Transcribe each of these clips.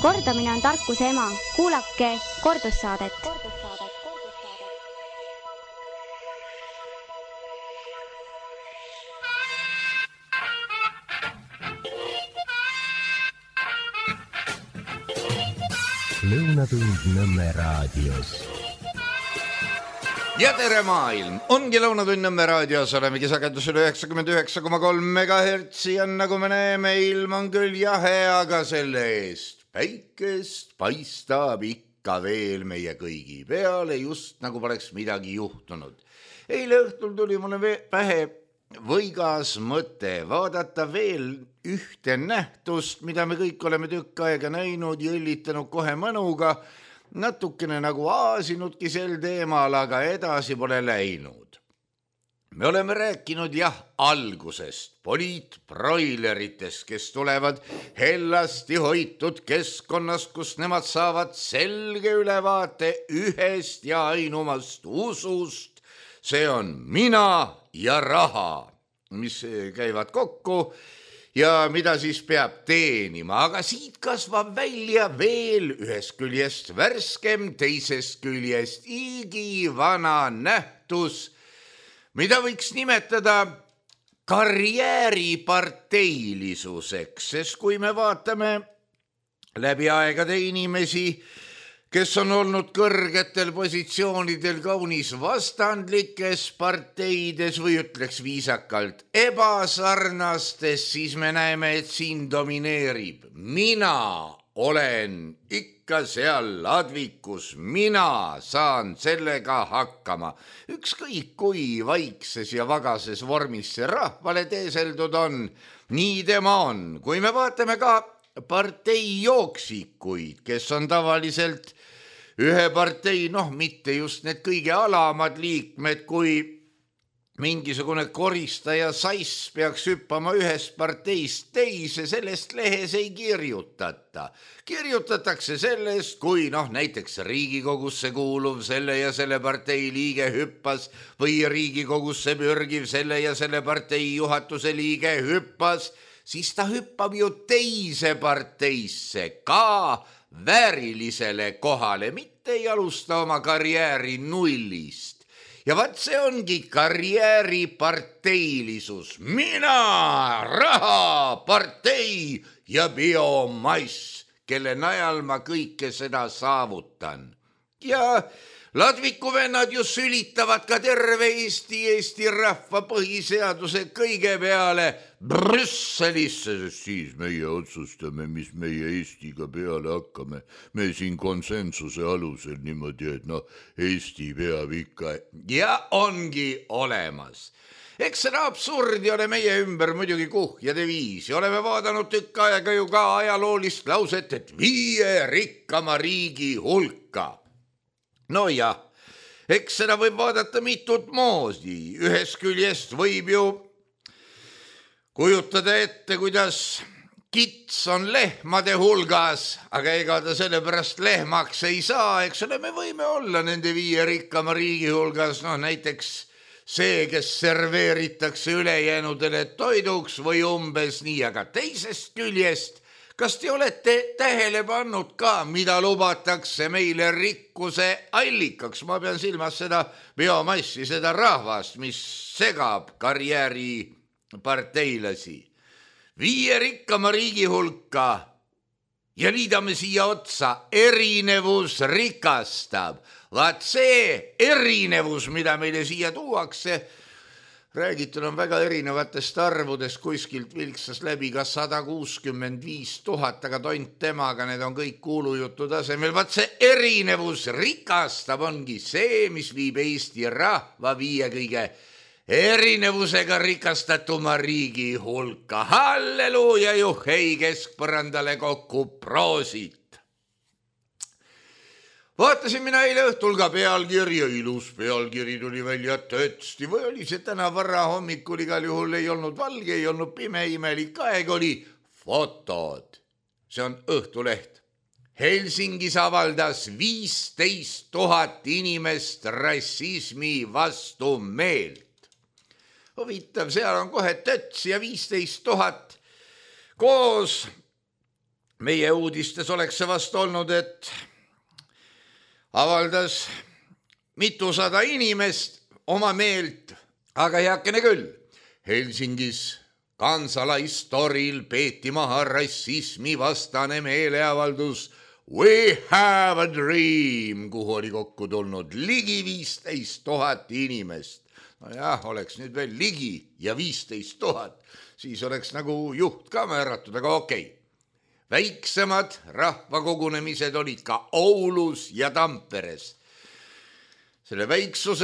Kordamine on tarkuse ema. Kuulake kordussaadet. Lõunatund Nõmme raadios. Ja tere maailm! Ongi Lõunatund Nõmme raadios, olemegi sagedusel 99,3 MHz ja nagu me näeme, ilm on küll jahe, aga selle eest päikest paistab ikka veel meie kõigi peale, just nagu poleks midagi juhtunud. Eile õhtul tuli mulle pähe võigas mõte vaadata veel ühte nähtust, mida me kõik oleme tükk aega näinud ja õllitanud kohe mõnuga, natukene nagu aasinudki sel teemal, aga edasi pole läinud. Me oleme rääkinud algusest, poliitbroileritest, kes tulevad hellasti hoitud keskkonnast, kus nemad saavad selge ülevaate ühest ja ainumast usust. See on mina ja raha, mis käivad kokku ja mida siis peab teenima. Aga siit kasvab välja veel ühest küljest värskem, teisest küljest igivana nähtus, mida võiks nimetada karjääriparteilisuseks, sest kui me vaatame läbi aegade inimesi, kes on olnud kõrgetel positsioonidel kaunis vastandlikes parteides või ütleks viisakalt ebasarnastes, siis me näeme, et siin domineerib. Mina olen ikka seal ladvikus, mina saan sellega hakkama. Ükskõik kui vaikses ja vagases vormis see rahvale teeseldud on, nii tema on. Kui me vaatame ka partei jooksikuid, kes on tavaliselt ühe partei, mitte just need kõige alamad liikmed, kui mingisugune koristaja sass peaks hüppama ühest parteist teise, sellest lehes ei kirjutata. Kirjutatakse sellest, kui näiteks Riigikogusse kuuluv selle ja selle partei liige hüppas või Riigikogusse pürgiv selle ja selle partei juhatuse liige hüppas, siis ta hüppab ju teise parteisse ka väärilisele kohale, mitte ei alusta oma karjääri nullist. Ja vaat see ongi karjääriparteilisus. Mina, raha, partei ja biomass, kelle najal ma kõike seda saavutan. Ja ladviku vennad ju sülitavad ka terve Eesti rahva põhiseaduse kõige peale Brüsselisse, siis meie otsustame, mis meie Eestiga peale hakkame. Me siin konsensuse alusel niimoodi, et Eesti peab ikka ja ongi olemas. Eks seda absurdi ole meie ümber muidugi kuhjade viisi. Oleme vaadanud tükk aega ju ka ajaloolist lauset, et 5 rikkama riigi hulka. No jah, eks seda võib vaadata mitut moodi. Ühest küljest võib ju kujutada ette, kuidas kits on lehmade hulgas, aga ega ta sellepärast lehmaks ei saa. Eks ole, me võime olla nende 5 rikkama riigi hulgas, näiteks see, kes serveeritakse ülejäänudele toiduks või umbes nii, aga teisest küljest, kas te olete tähele pannud ka, mida lubatakse meile rikkuse allikaks? Ma pean silmas seda biomassi, seda rahvast, mis segab karjääriparteilasi. 5 rikkama riigi hulka ja liidame siia otsa, erinevus rikastab. Vaat see erinevus, mida meile siia tuuakse, räägitud on väga erinevatest arvudest, kuskilt vilksas läbi ka 165 000, aga tont temaga, need on kõik kuulujutu tasemel. Vaat see erinevus rikastab ongi see, mis viib Eesti rahva 5 kõige erinevusega rikastatuma riigi hulka. Halleluuja, juhhei, keskpõrandale kokku, proosit! Vaatasin mina eile õhtul ka pealkirja, ilus pealkiri tuli välja tõesti, või oli see täna vara hommikul, igal juhul ei olnud valge, ei olnud pime, imelik aeg, oli fotod. See on Õhtuleht. Helsingis avaldas 15 000 inimest rassismi vastu meelt. Huvitav, seal on kohe töts ja 15 000 koos meie uudistes oleks see vast olnud, et avaldas mitusada inimest oma meelt, aga heakene küll. Helsingis Kansalaistoril peeti maha rassismi vastane meeleavaldus We have a dream, kuhu oli kokku tulnud ligi 15 000 inimest. No jah, oleks nüüd veel ligi ja 15 000, siis oleks nagu juht ka määratud, aga okei. Väiksemad rahvakogunemised olid ka Oulus ja Tamperes. Selle väiksust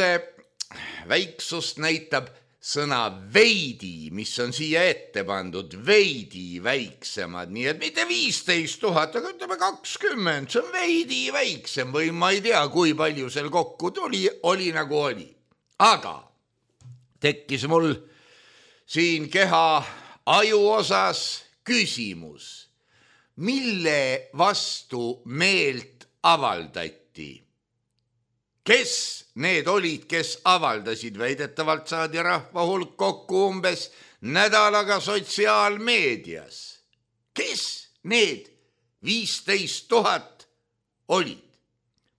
näitab sõna veidi, mis on siia ette pandud, veidi väiksemad, nii et mitte 15 000, aga ütleme 20, see on veidi väiksem või ma ei tea, kui palju seal kokku tuli, oli nagu oli. Aga tekkis mul siin keha aju osas küsimus, mille vastu meelt avaldati? Kes need olid, kes avaldasid? Väidetavalt saadi rahva hulk kokku umbes nädalaga sotsiaalmeedias. Kes need 15 000 olid?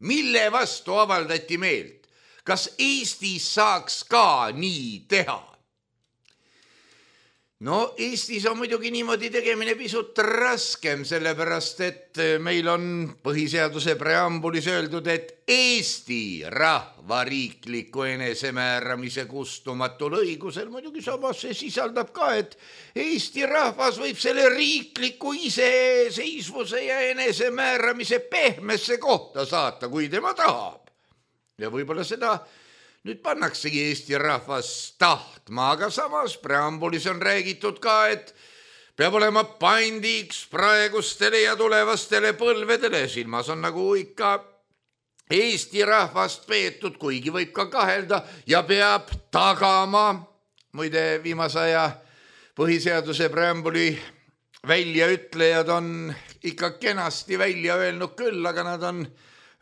Mille vastu avaldati meelt? Kas Eestis saaks ka nii teha? No Eestis on muidugi niimoodi tegemine pisut raskem, sellepärast et meil on põhiseaduse preambulis öeldud, et Eesti rahvariikliku enesemääramise kustumatul õigusel, muidugi samas see sisaldab ka, et Eesti rahvas võib selle riikliku iseseisvuse ja enesemääramise pehmesse kohta saata, kui tema tahab. Ja võib-olla seda nüüd pannaksegi Eesti rahvas tahtma, aga samas preambulis on räägitud ka, et peab olema pandiks praegustele ja tulevastele põlvedele. Silmas on nagu ikka Eesti rahvast peetud, kuigi võib ka kahelda ja peab tagama. Muide, viimase aja põhiseaduse preambuli väljaütlejad on ikka kenasti välja öelnud küll, aga nad on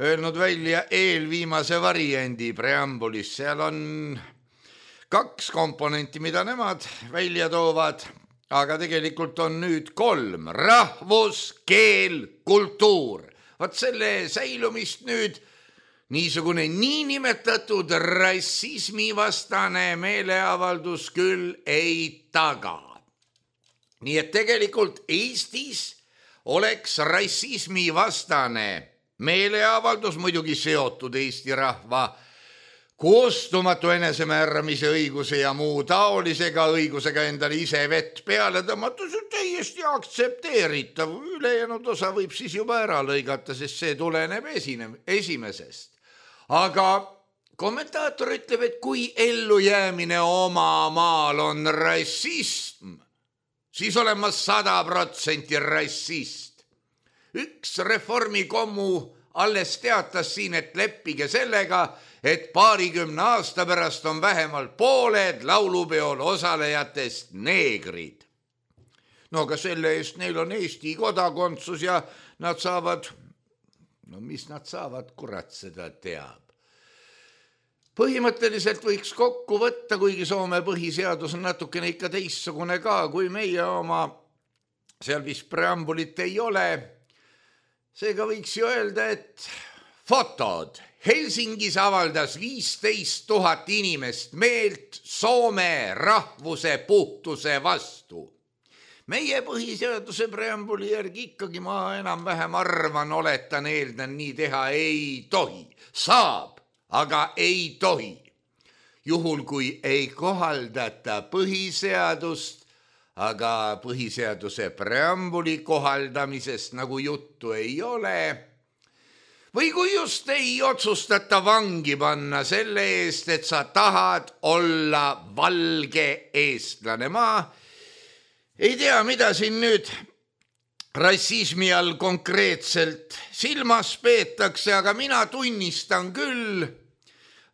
öelnud välja eelviimase variandi preambulis. Seal on 2 komponenti, mida nemad välja toovad, aga tegelikult on nüüd 3. Rahvus, keel, kultuur. Vaat selle säilumist nüüd niisugune niinimetatud rassismivastane meeleavaldus küll ei taga. Nii et tegelikult Eestis oleks rassismivastane meeleavaldus muidugi seotud Eesti rahva kustumatu enesemääramise õiguse ja muu taolisega õigusega endale ise vett peale tõmmata, see on täiesti aktsepteeritav. Ülejäänud osa võib siis juba ära lõigata, sest see tuleneb esimesest. Aga kommentaator ütleb, et kui ellujäämine oma maal on rassism, siis olen ma 100% rassist. Üks reformikommu alles teatas siin, et leppige sellega, et 20 aasta pärast on vähemalt pooled laulupeol osalejatest neegrid. No aga selle eest neil on Eesti kodakondsus ja nad saavad, no mis nad saavad, kurat seda teab. Põhimõtteliselt võiks kokku võtta, kuigi Soome põhiseadus on natukene ikka teistsugune ka, kui meie oma, seal vist preambulit ei ole. Seega võiks ju öelda, et fotod. Helsingis avaldas 15 000 inimest meelt Soome rahvuse puhtuse vastu. Meie põhiseaduse preambuli järgi ikkagi ma enam-vähem arvan, oletan, eeldan, nii teha ei tohi. Saab, aga ei tohi. Juhul, kui ei kohaldata põhiseadust, aga põhiseaduse preambuli kohaldamisest nagu juttu ei ole. Või kui just ei otsustata vangi panna selle eest, et sa tahad olla valge eestlane. Ma ei tea, mida siin nüüd rassismi all konkreetselt silmas peetakse, aga mina tunnistan küll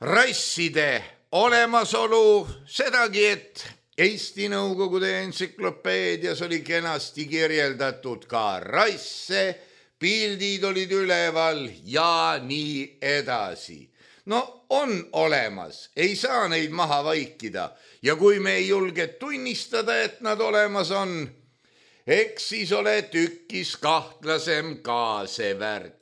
rasside olemasolu, sedagi, et Eesti Nõukogude entsüklopeedias oli kenasti kirjeldatud ka rasse, pildid olid üleval ja nii edasi. No on olemas, ei saa neid maha vaikida ja kui me ei julge tunnistada, et nad olemas on, eks siis ole tükkis kahtlasem ka see värk.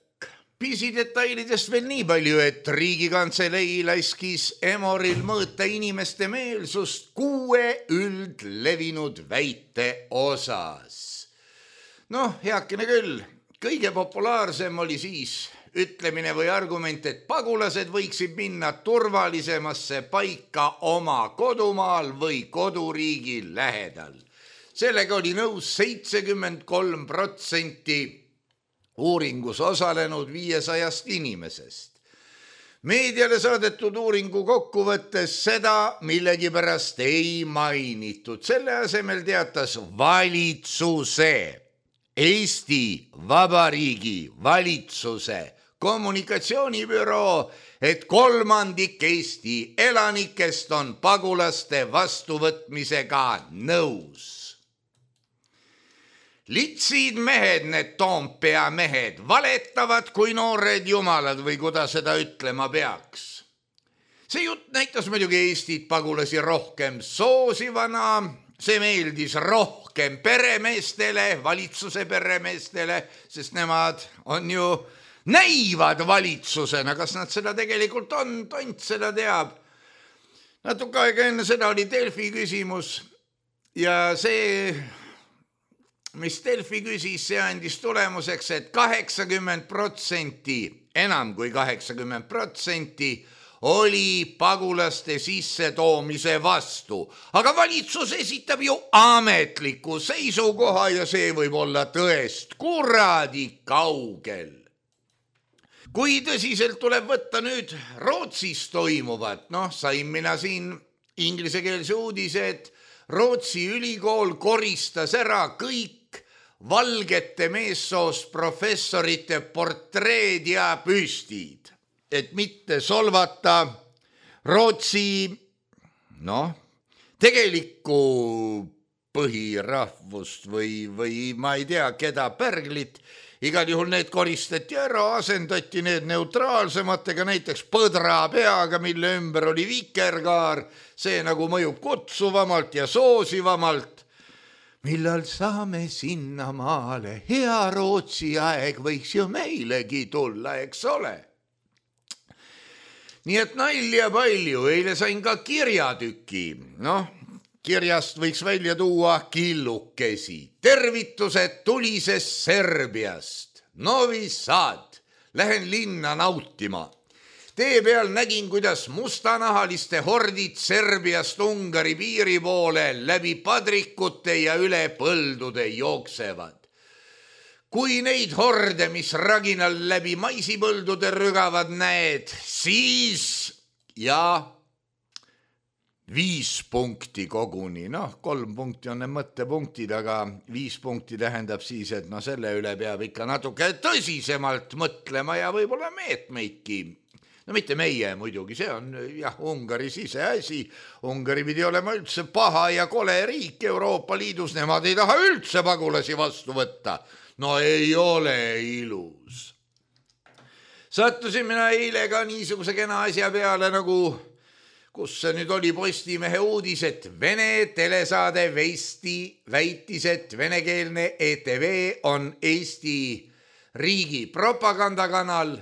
Pisidetailidest veel nii palju, et Riigikantselei laskis Emoril mõõta inimeste meelsust 6 üldlevinud väite osas. Noh, heakene küll, kõige populaarsem oli siis ütlemine või argument, et pagulased võiksid minna turvalisemasse paika oma kodumaal või koduriigi lähedal. Sellega oli nõus 73% uuringus osalenud 500 inimesest. Meediale saadetud uuringu kokkuvõttes seda millegipärast ei mainitud. Selle asemel teatas valitsuse, Eesti Vabariigi valitsuse kommunikatsioonibüroo, et 1/3 Eesti elanikest on pagulaste vastuvõtmisega nõus. Litsid mehed, need Toompea mehed, valetavad kui noored jumalad või kuidas seda ütlema peaks. See jutt näitas muidugi Eestit pagulasi rohkem soosivana, see meeldis rohkem peremeestele, valitsuse peremeestele, sest nemad on ju näivad valitsusena, kas nad seda tegelikult on, tont seda teab. Natuke aega enne seda oli Delfi küsimus ja see, mis Delfi küsis, see andis tulemuseks, et 80%, enam kui 80% oli pagulaste sissetoomise vastu. Aga valitsus esitab ju ametliku seisukoha ja see võib olla tõest kuradi kaugel. Kui tõsiselt tuleb võtta nüüd Rootsis toimuvat, sain mina siin inglisekeelse uudise, et Rootsi ülikool koristas ära kõik valgete meessoost professorite portreed ja püstid, et mitte solvata Rootsi, tegelikku põhirahvust või ma ei tea, keda pärglit. Igal juhul need koristati ära, asendati need neutraalsematega, näiteks põdra peaga, mille ümber oli vikerkaar, see nagu mõjub kutsuvamalt ja soosivamalt. Millal saame sinna maale, hea Rootsi aeg võiks ju meilegi tulla, eks ole. Nii et nalja palju, eile sain ka kirjatüki, kirjast võiks välja tuua killukesi. Tervitused tulisest Serbiast. Novi Sad. Lähen linna nautima. Tee peal nägin, kuidas mustanahaliste hordid Serbiast Ungari piiri poole läbi padrikute ja üle põldude jooksevad. Kui neid horde, mis raginal läbi maisipõldude rügavad näed, siis 5 punkti koguni, 3 punkti on need mõttepunktid, aga 5 punkti tähendab siis, et selle üle peab ikka natuke tõsisemalt mõtlema ja võib-olla meetmeidki. Mitte meie muidugi, see on Ungari siseasi. Ungari pidi olema üldse paha ja kole riik Euroopa Liidus, nemad ei taha üldse pagulasi vastu võtta. Ei ole ilus. Sattusin mina eile ka niisuguse kena asja peale nagu kus see nüüd oli Postimehe uudis, et Vene telesaade Vesti väitis, et venekeelne ETV on Eesti riigi propagandakanal,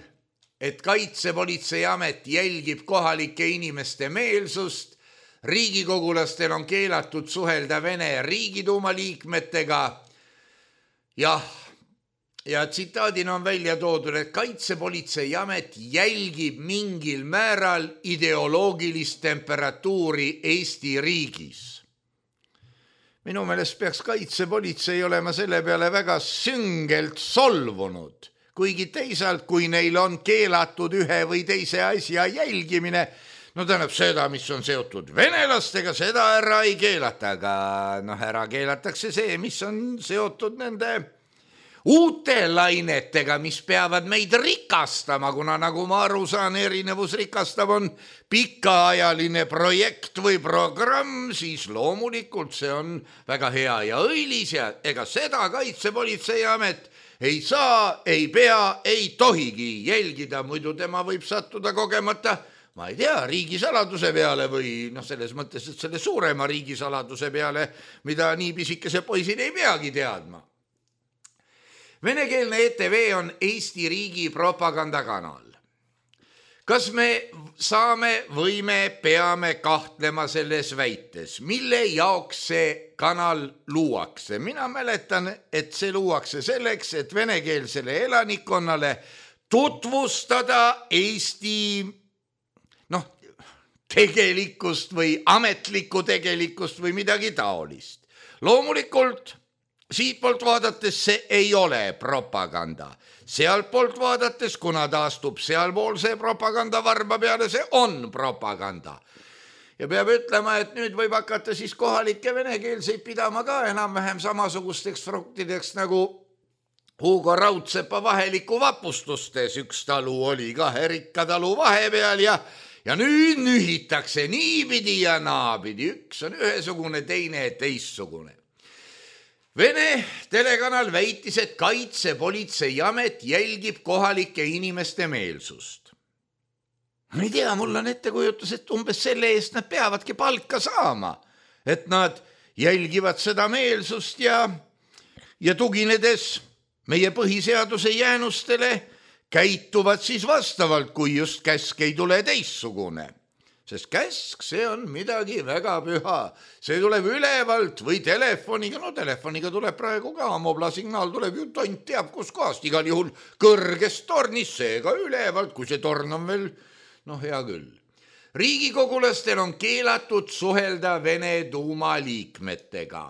et Kaitsepolitseiamet jälgib kohalike inimeste meelsust, riigikogulastel on keelatud suhelda Vene Riigiduuma liikmetega. Ja tsitaadina on välja toodud, et Kaitsepolitseiamet jälgib mingil määral ideoloogilist temperatuuri Eesti riigis. Minu meelest peaks Kaitsepolitsei olema selle peale väga süngelt solvunud, kuigi teisalt, kui neil on keelatud ühe või teise asja jälgimine, tähendab seda, mis on seotud venelastega, seda ära ei keelata, aga ära keelatakse see, mis on seotud nende uute lainetega, mis peavad meid rikastama, kuna nagu ma aru saan, erinevus rikastab on pikaajaline projekt või programm, siis loomulikult see on väga hea ja õilis ja ega seda Kaitsepolitseiamet ei saa, ei pea, ei tohigi jälgida, muidu tema võib sattuda kogemata ma ei tea, riigisaladuse peale või selles mõttes, et selle suurema riigisaladuse peale, mida nii pisikese poisid ei peagi teadma. Venekeelne ETV on Eesti riigi propagandakanal. Kas me saame või me peame kahtlema selles väites, mille jaoks see kanal luuakse? Mina mäletan, et see luuakse selleks, et venekeelsele elanikkonnale tutvustada Eesti tegelikkust või ametlikku tegelikkust või midagi taolist. Loomulikult siitpoolt vaadates see ei ole propaganda. Sealtpoolt vaadates, kuna ta astub sealpool see propaganda varba peale, see on propaganda. Ja peab ütlema, et nüüd võib hakata siis kohalikke venekeelseid pidama ka enam-vähem samasugusteks fruktideks nagu Hugo Raudsepa vaheliku vapustustes. Üks talu oli kahe rikka talu vahepeal ja nüüd nühitakse niipidi ja naapidi. Üks on ühesugune, teine teissugune. Vene telekanal väitis, et Kaitsepolitseiamet jälgib kohalike inimeste meelsust. Ma ei tea, mul on ettekujutus, et umbes selle eest nad peavadki palka saama, et nad jälgivad seda meelsust ja tuginedes meie põhiseaduse jäänustele käituvad siis vastavalt, kui just käsk ei tule teissugune. Sest käsk, see on midagi väga püha. See tuleb ülevalt või telefoniga. Telefoniga tuleb praegu ka. Moblasignaal tuleb ju tont teab kus kohast. Igal juhul kõrgest tornist, seega ülevalt, kui see torn on veel, hea küll. Riigikogulastel on keelatud suhelda Vene Duuma liikmetega.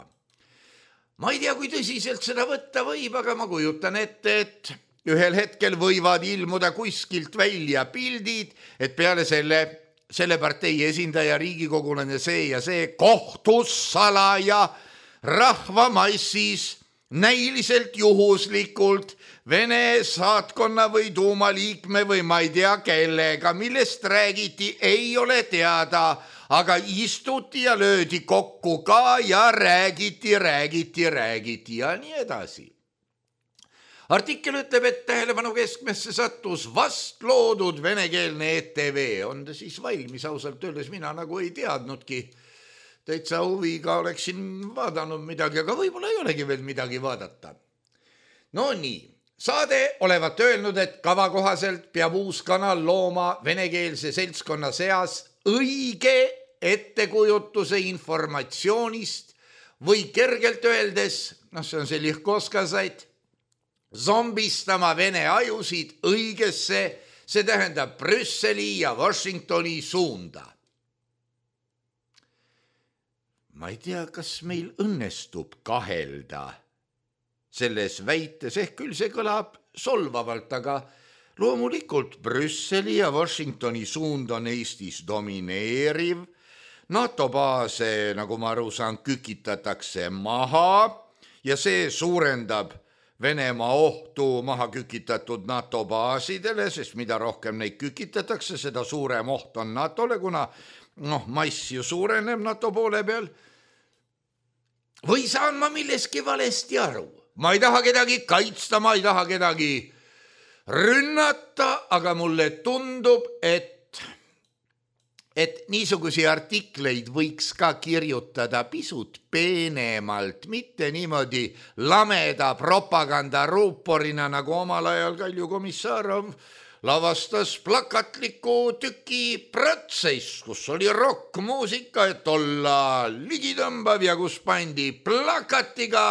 Ma ei tea, kui tõsiselt seda võtta võib, aga ma kujutan ette, et ühel hetkel võivad ilmuda kuskilt välja pildid, et peale selle partei esindaja riigikogulane see ja see kohtus salaja rahvamassis näiliselt juhuslikult Vene saatkonna või Duuma liikme või ma ei tea kellega, millest räägiti, ei ole teada, aga istuti ja löödi kokku ka ja räägiti ja nii edasi. Artikkel ütleb, et tähelepanu keskmesse sattus vast loodud venekeelne ETV. On ta siis valmis, ausalt öeldes mina nagu ei teadnudki. Täitsa huviga oleksin vaadanud midagi, aga võib-olla ei olegi veel midagi vaadata. No nii, saade olevat öelnud, et kava kohaselt peab uus kanal looma venekeelse seltskonna seas õige ettekujutuse informatsioonist või kergelt öeldes, see on see lihkoskasaid, zombistama Vene ajusid õigesse, see tähendab Brüsseli ja Washingtoni suunda. Ma ei tea, kas meil õnnestub kahelda selles väites, küll see kõlab solvavalt, aga loomulikult Brüsseli ja Washingtoni suund on Eestis domineeriv. NATO baase, nagu ma aru saan, kükitatakse maha ja see suurendab Venemaa ohtu maha kükitatud NATO baasidele, sest mida rohkem neid kükitatakse, seda suurem oht on NATOle, kuna mass ju suureneb NATO poole peal. Või saan ma milleski valesti aru? Ma ei taha kedagi kaitsta, ma ei taha kedagi rünnata, aga mulle tundub, et niisugusi artikleid võiks ka kirjutada pisut peenemalt, mitte niimoodi lameda propagandaruuporina, nagu omal ajal Kalju Komissarov lavastas plakatliku tüki Protsess, kus oli rokkmuusika, et olla ligitõmbav ja kus pandi plakatiga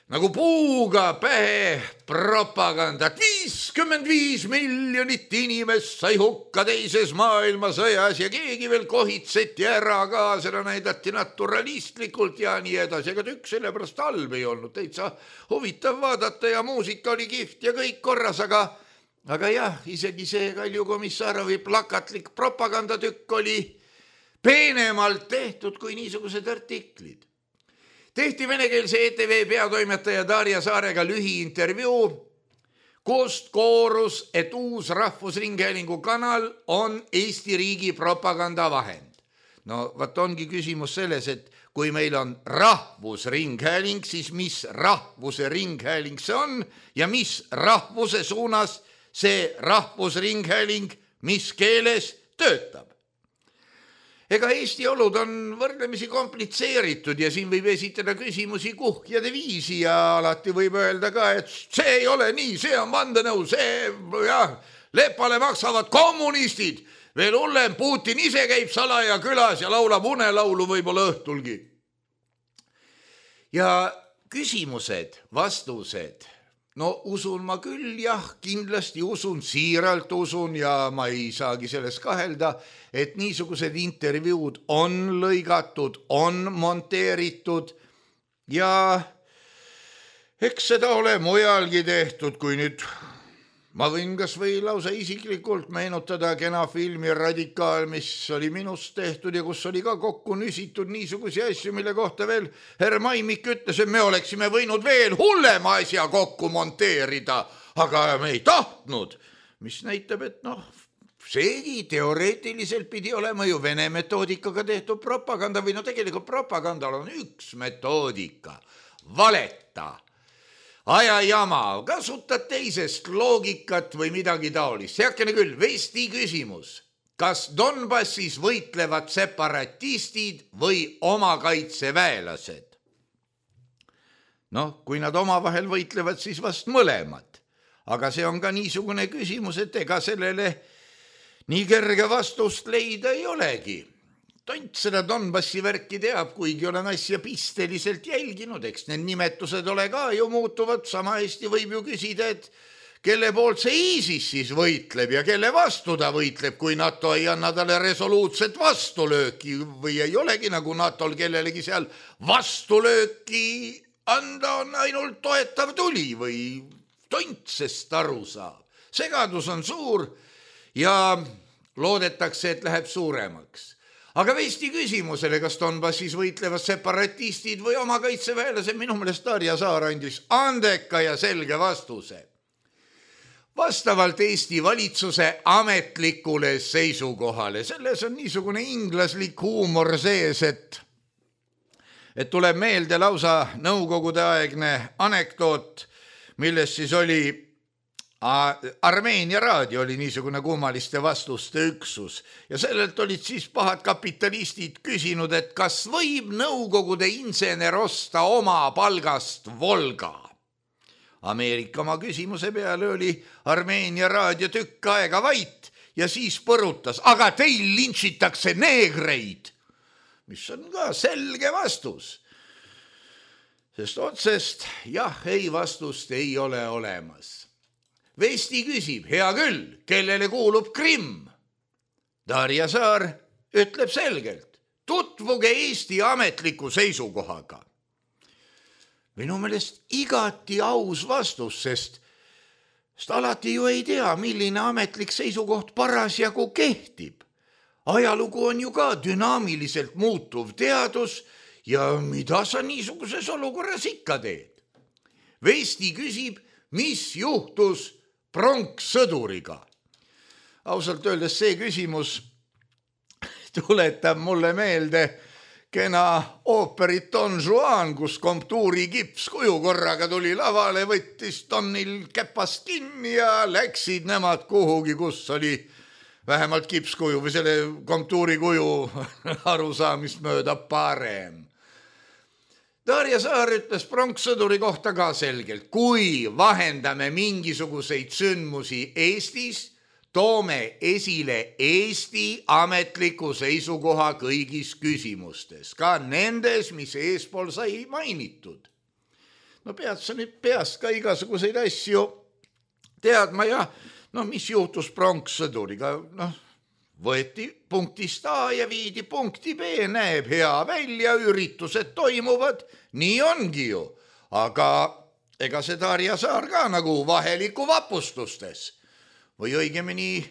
nagu puuga pähe propagandat. 55 miljonit inimest sai hukka teises maailmasõjas ja keegi veel kohitseti ära ka, seda näidati naturalistlikult ja nii edasi, aga tükk sellepärast halb ei olnud, täitsa huvitav vaadata ja muusika oli kihvt ja kõik korras, aga jah, isegi see Kalju Komissarovi plakatlik propagandatükk oli peenemalt tehtud kui niisugused artiklid. Tehti venekeelse ETV peatoimetaja Darja Saarega lühiintervjuu, kust koorus, et uus Rahvusringhäälingu kanal on Eesti riigi propagandavahend. No vaat ongi küsimus selles, et kui meil on Rahvusringhääling, siis mis rahvuse ringhääling see on ja mis rahvuse suunas see Rahvusringhääling, mis keeles töötab. Ega Eesti olud on võrdlemisi komplitseeritud ja siin võib esitada küsimusi kuhjade viisi ja alati võib öelda ka, et see ei ole nii, see on vandenõu, see jah, lepale maksavad kommunistid. Veel hullem, Putin ise käib salaja külas ja laulab unelaulu võib-olla õhtulgi. Ja küsimused, vastused. No usun ma küll, jah, kindlasti usun, siiralt usun ja ma ei saagi selles kahelda, et niisugused intervjuud on lõigatud, on monteeritud ja eks seda ole mujalgi tehtud, kui nüüd ma võin kas või lausa isiklikult meenutada kena filmi Radikaal, mis oli minust tehtud ja kus oli ka kokku nüsitud niisugusi asju, mille kohta veel herr Maimik ütles, et me oleksime võinud veel hullema asja kokku monteerida, aga me ei tahtnud, mis näitab, et seegi teoreetiliselt pidi olema ju Vene metoodikaga tehtud propaganda või tegelikult propagandal on üks metoodika, valeta. Ajajama, kasutad teisest loogikat või midagi taolist. Heakene küll, Vesti küsimus. Kas Donbassis võitlevad separatistid või omakaitseväelased? Kui nad omavahel võitlevad, siis vast mõlemad. Aga see on ka niisugune küsimus, et ega sellele nii kerge vastust leida ei olegi. Tont seda Donbassi värki teab, kuigi olen asja pisteliselt jälginud, eks need nimetused ole ka ju muutuvad, sama hästi võib ju küsida, et kelle poolt see ISIS siis võitleb ja kelle vastu ta võitleb, kui NATO ei anna talle resoluutset vastulööki või ei olegi nagu NATOl kellelegi seal vastulööki anda on ainult toetav tuli või tont sest aru saab. Segadus on suur ja loodetakse, et läheb suuremaks. Aga Vesti küsimusele, kas Donbassis võitlevad separatistid või omakaitseväelased, minu meelest Darja Saar andis andeka ja selge vastuse. Vastavalt Eesti valitsuse ametlikule seisukohale, selles on niisugune inglaslik huumor sees, et tuleb meelde lausa nõukogude aegne anekdoot, milles siis oli Armeenia raadio oli niisugune kummaliste vastuste üksus ja sellelt olid siis pahad kapitalistid küsinud, et kas võib nõukogude insener osta oma palgast Volga. Ameerika oma küsimuse peale oli Armeenia raadio tükk aega vait ja siis põrutas, aga teil lintšitakse neegreid, mis on ka selge vastus. Sest otsest jah, ei vastust ei ole olemas. Vesti küsib, hea küll, kellele kuulub Krimm? Darja Saar ütleb selgelt, tutvuge Eesti ametliku seisukohaga. Minu meelest igati aus vastus, sest alati ju ei tea, milline ametlik seisukoht parasjagu kehtib. Ajalugu on ju ka dünaamiliselt muutuv teadus ja mida sa niisuguses olukorras ikka teed? Vesti küsib, mis juhtus pronkssõduriga. Ausalt öeldes see küsimus tuletab mulle meelde kena ooperit Don Juan, kus Comptuuri kipskuju korraga tuli lavale, võttis Donil käpast kinni ja läksid nemad kuhugi, kus oli vähemalt kipskuju või selle Comptuuri kuju arusaamist mööda parem. Darja Saar ütles pronkssõduri kohta ka selgelt, kui vahendame mingisuguseid sündmusi Eestis, toome esile Eesti ametliku seisukoha kõigis küsimustes, ka nendes, mis eespool sai mainitud. Pead sa nüüd peast ka igasuguseid asju teadma ja mis juhtus pronkssõduriga, võeti punktist A ja viidi punkti B, näeb hea välja, üritused toimuvad, nii ongi ju. Aga ega see Darja Saar ka nagu vaheliku vapustustes. Või õigemini,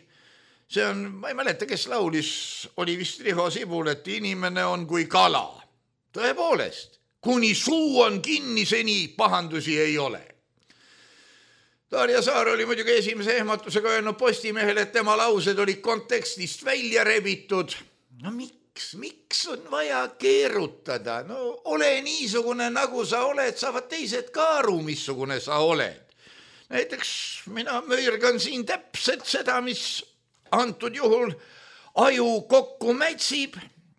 see on, ma ei mäleta, kes laulis, oli vist Riho Sibul, et inimene on kui kala. Tõepoolest, kuni suu on kinni, seni pahandusi ei ole. Darja Saar oli muidugi esimese ehmatusega öelnud Postimehele, et tema laused olid kontekstist välja rebitud. Miks on vaja keerutada? Ole niisugune, nagu sa oled, saavad teised ka aru, missugune sa oled. Näiteks mina möirgan siin täpselt seda, mis antud juhul aju kokku mätsib,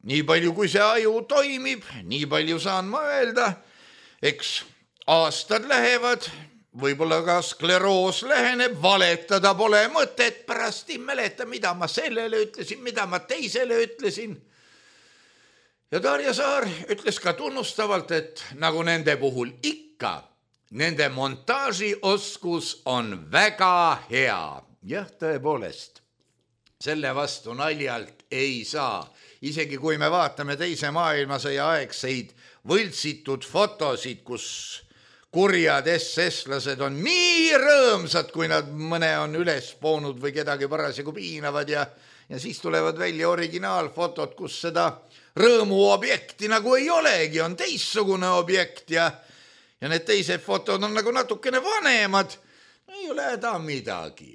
nii palju kui see aju toimib, nii palju saan ma öelda. Eks aastad lähevad, võib-olla ka skleroos läheneb, valetada pole mõtet, pärast ei mäleta, mida ma sellele ütlesin, mida ma teisele ütlesin. Ja Darja Saar ütles ka tunnustavalt, et nagu nende puhul ikka, nende montaažioskus on väga hea. Jah, tõepoolest, selle vastu naljalt ei saa. Isegi kui me vaatame teise maailmasõja aegseid võltsitud fotosid, kus kurjad SS-lased on nii rõõmsad, kui nad mõne on üles poonud või kedagi parasjagu piinavad ja siis tulevad välja originaalfotod, kus seda rõõmuobjekti nagu ei olegi, on teissugune objekt ja need teised fotod on nagu natukene vanemad, ei ole häda midagi.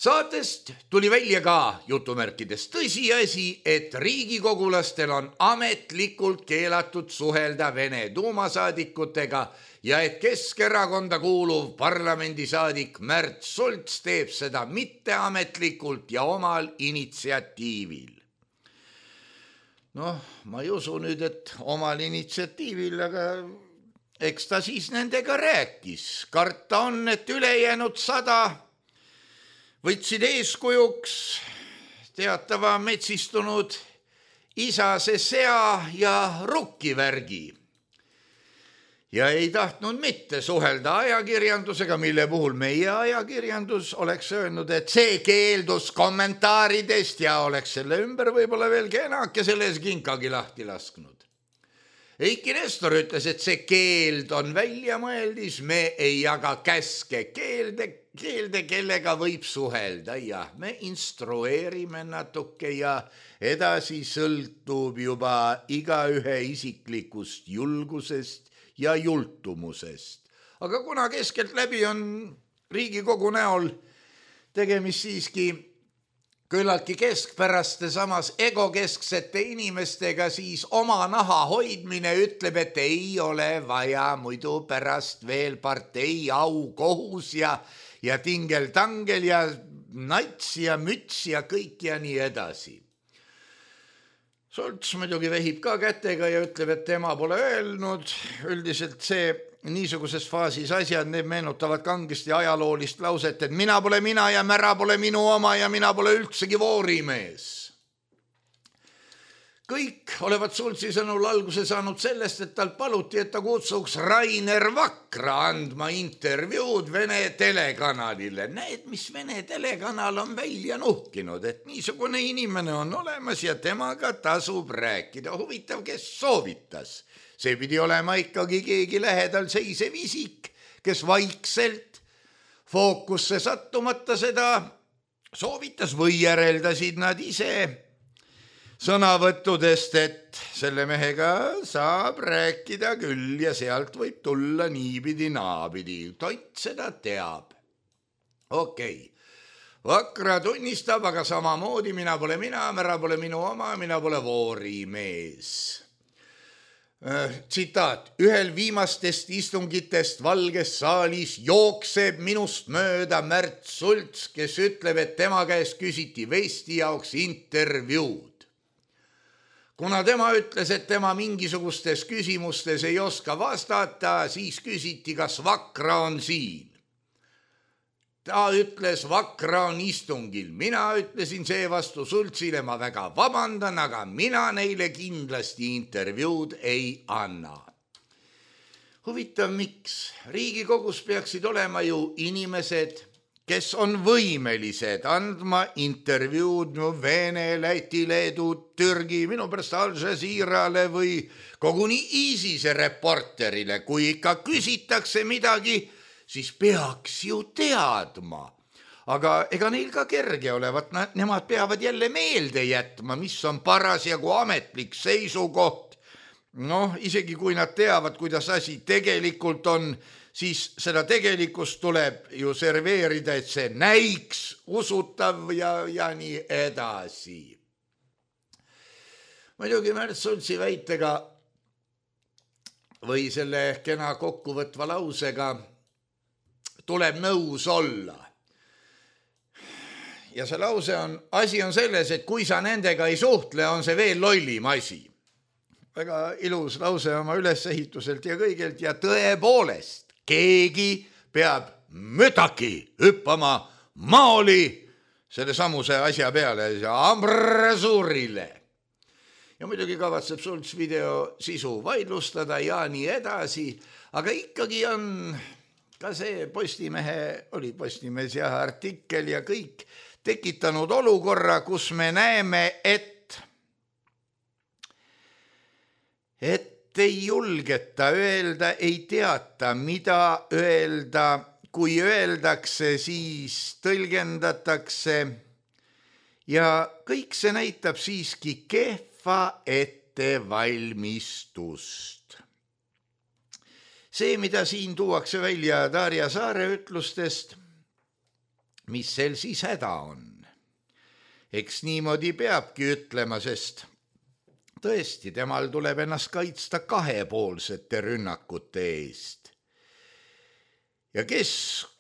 Saatest tuli välja ka jutumärkides tõsiasi, et riigikogulastel on ametlikult keelatud suhelda Vene duumasaadikutega ja et Keskerakonda kuuluv parlamendisaadik Märt Sults teeb seda mitteametlikult ja omal initsiatiivil. Noh, ma ei usu nüüd, et omal initsiatiivil, aga eks ta siis nendega rääkis. Karta on, et ülejäänud 100 võtsid eeskujuks teatava metsistunud isase sea ja rukkivärgi ja ei tahtnud mitte suhelda ajakirjandusega, mille puhul meie ajakirjandus oleks öelnud, et see keeldus kommentaaridest ja oleks selle ümber võib-olla veel kenake selles kinkagi lahti lasknud. Eiki Nestor ütles, et see keeld on väljamõeldis, me ei jaga käske keelde, kellega võib suhelda ja me instrueerime natuke ja edasi sõltub juba igaühe isiklikust julgusest ja jultumusest. Aga kuna keskelt läbi on Riigikogu näol tegemist siiski küllaltki keskpäraste samas egokesksete inimestega, siis oma naha hoidmine ütleb, et ei ole vaja muidu pärast veel partei au kohus ja tingel-tangel ja nats ja müts ja kõik ja nii edasi. Sults muidugi vehib ka kätega ja ütleb, et tema pole öelnud. Üldiselt see niisuguses faasis asjad, need meenutavad kangesti ajaloolist lauset, et mina pole mina ja mära pole minu oma ja mina pole üldsegi voorimees. Kõik olevat Sultsi sõnul alguse saanud sellest, et tal paluti, et ta kutsuks Rainer Vakra andma intervjuud Vene telekanalile. Näed, mis Vene telekanal on välja nuhkinud, et niisugune inimene on olemas ja temaga tasub rääkida. Huvitav, kes soovitas. See pidi olema ikkagi keegi lähedal seisev isik, kes vaikselt fookusse sattumata seda soovitas või järeldasid nad ise sõnavõttudest, et selle mehega saab rääkida küll ja sealt võib tulla niipidi naapidi. Tont seda teab. Okei. Vakra tunnistab, aga samamoodi mina pole mina, mära pole minu oma, mina pole voorimees. Tsitaat, ühel viimastest istungitest Valges saalis jookseb minust mööda Märt Sults, kes ütleb, et tema käest küsiti vesti jaoks intervjuud. Kuna tema ütles, et tema mingisugustes küsimustes ei oska vastata, siis küsiti, kas Vakra on siin. Ta ütles, Vakra on istungil. Mina ütlesin seevastu Sultsile, ma väga vabandan, aga mina neile kindlasti intervjuud ei anna. Huvitav, miks? Riigikogus peaksid olema ju inimesed, kes on võimelised andma intervjuud Vene, Läti, Leedu, Türgi, minu pärast Al Jazeerale või koguni ISISe reporterile. Kui ikka küsitakse midagi, siis peaks ju teadma. Aga ega neil ka kerge olevat, nemad peavad jälle meelde jätma, mis on parasjagu ametlik seisukoht. Noh, isegi kui nad teavad, kuidas asi tegelikult on, siis seda tegelikkust tuleb ju serveerida, et see näiks usutav ja nii edasi. Muidugi Märt Sultsi väitega või selle kena kokkuvõtva lausega tuleb nõus olla. ja see lause on, asi on selles, et kui sa nendega ei suhtle, on see veel lollim asi. Väga ilus lause oma ülesehituselt ja kõigelt ja tõepoolest, keegi peab mütaki hüppama maoli selle samuse asja peale ja ambrasuurile. Ja muidugi kavatseb Sults video sisu vaidlustada ja nii edasi, aga ikkagi on ka see Postimees ja artikkel ja kõik tekitanud olukorra, kus me näeme, et ei julgeta öelda, ei teata, mida öelda, kui öeldakse, siis tõlgendatakse ja kõik see näitab siiski kehva ettevalmistust. See, mida siin tuuakse välja Darja Saare ütlustest, mis sel siis häda on. Eks niimoodi peabki ütlema, sest tõesti, temal tuleb ennast kaitsta kahepoolsete rünnakute eest. Ja kes,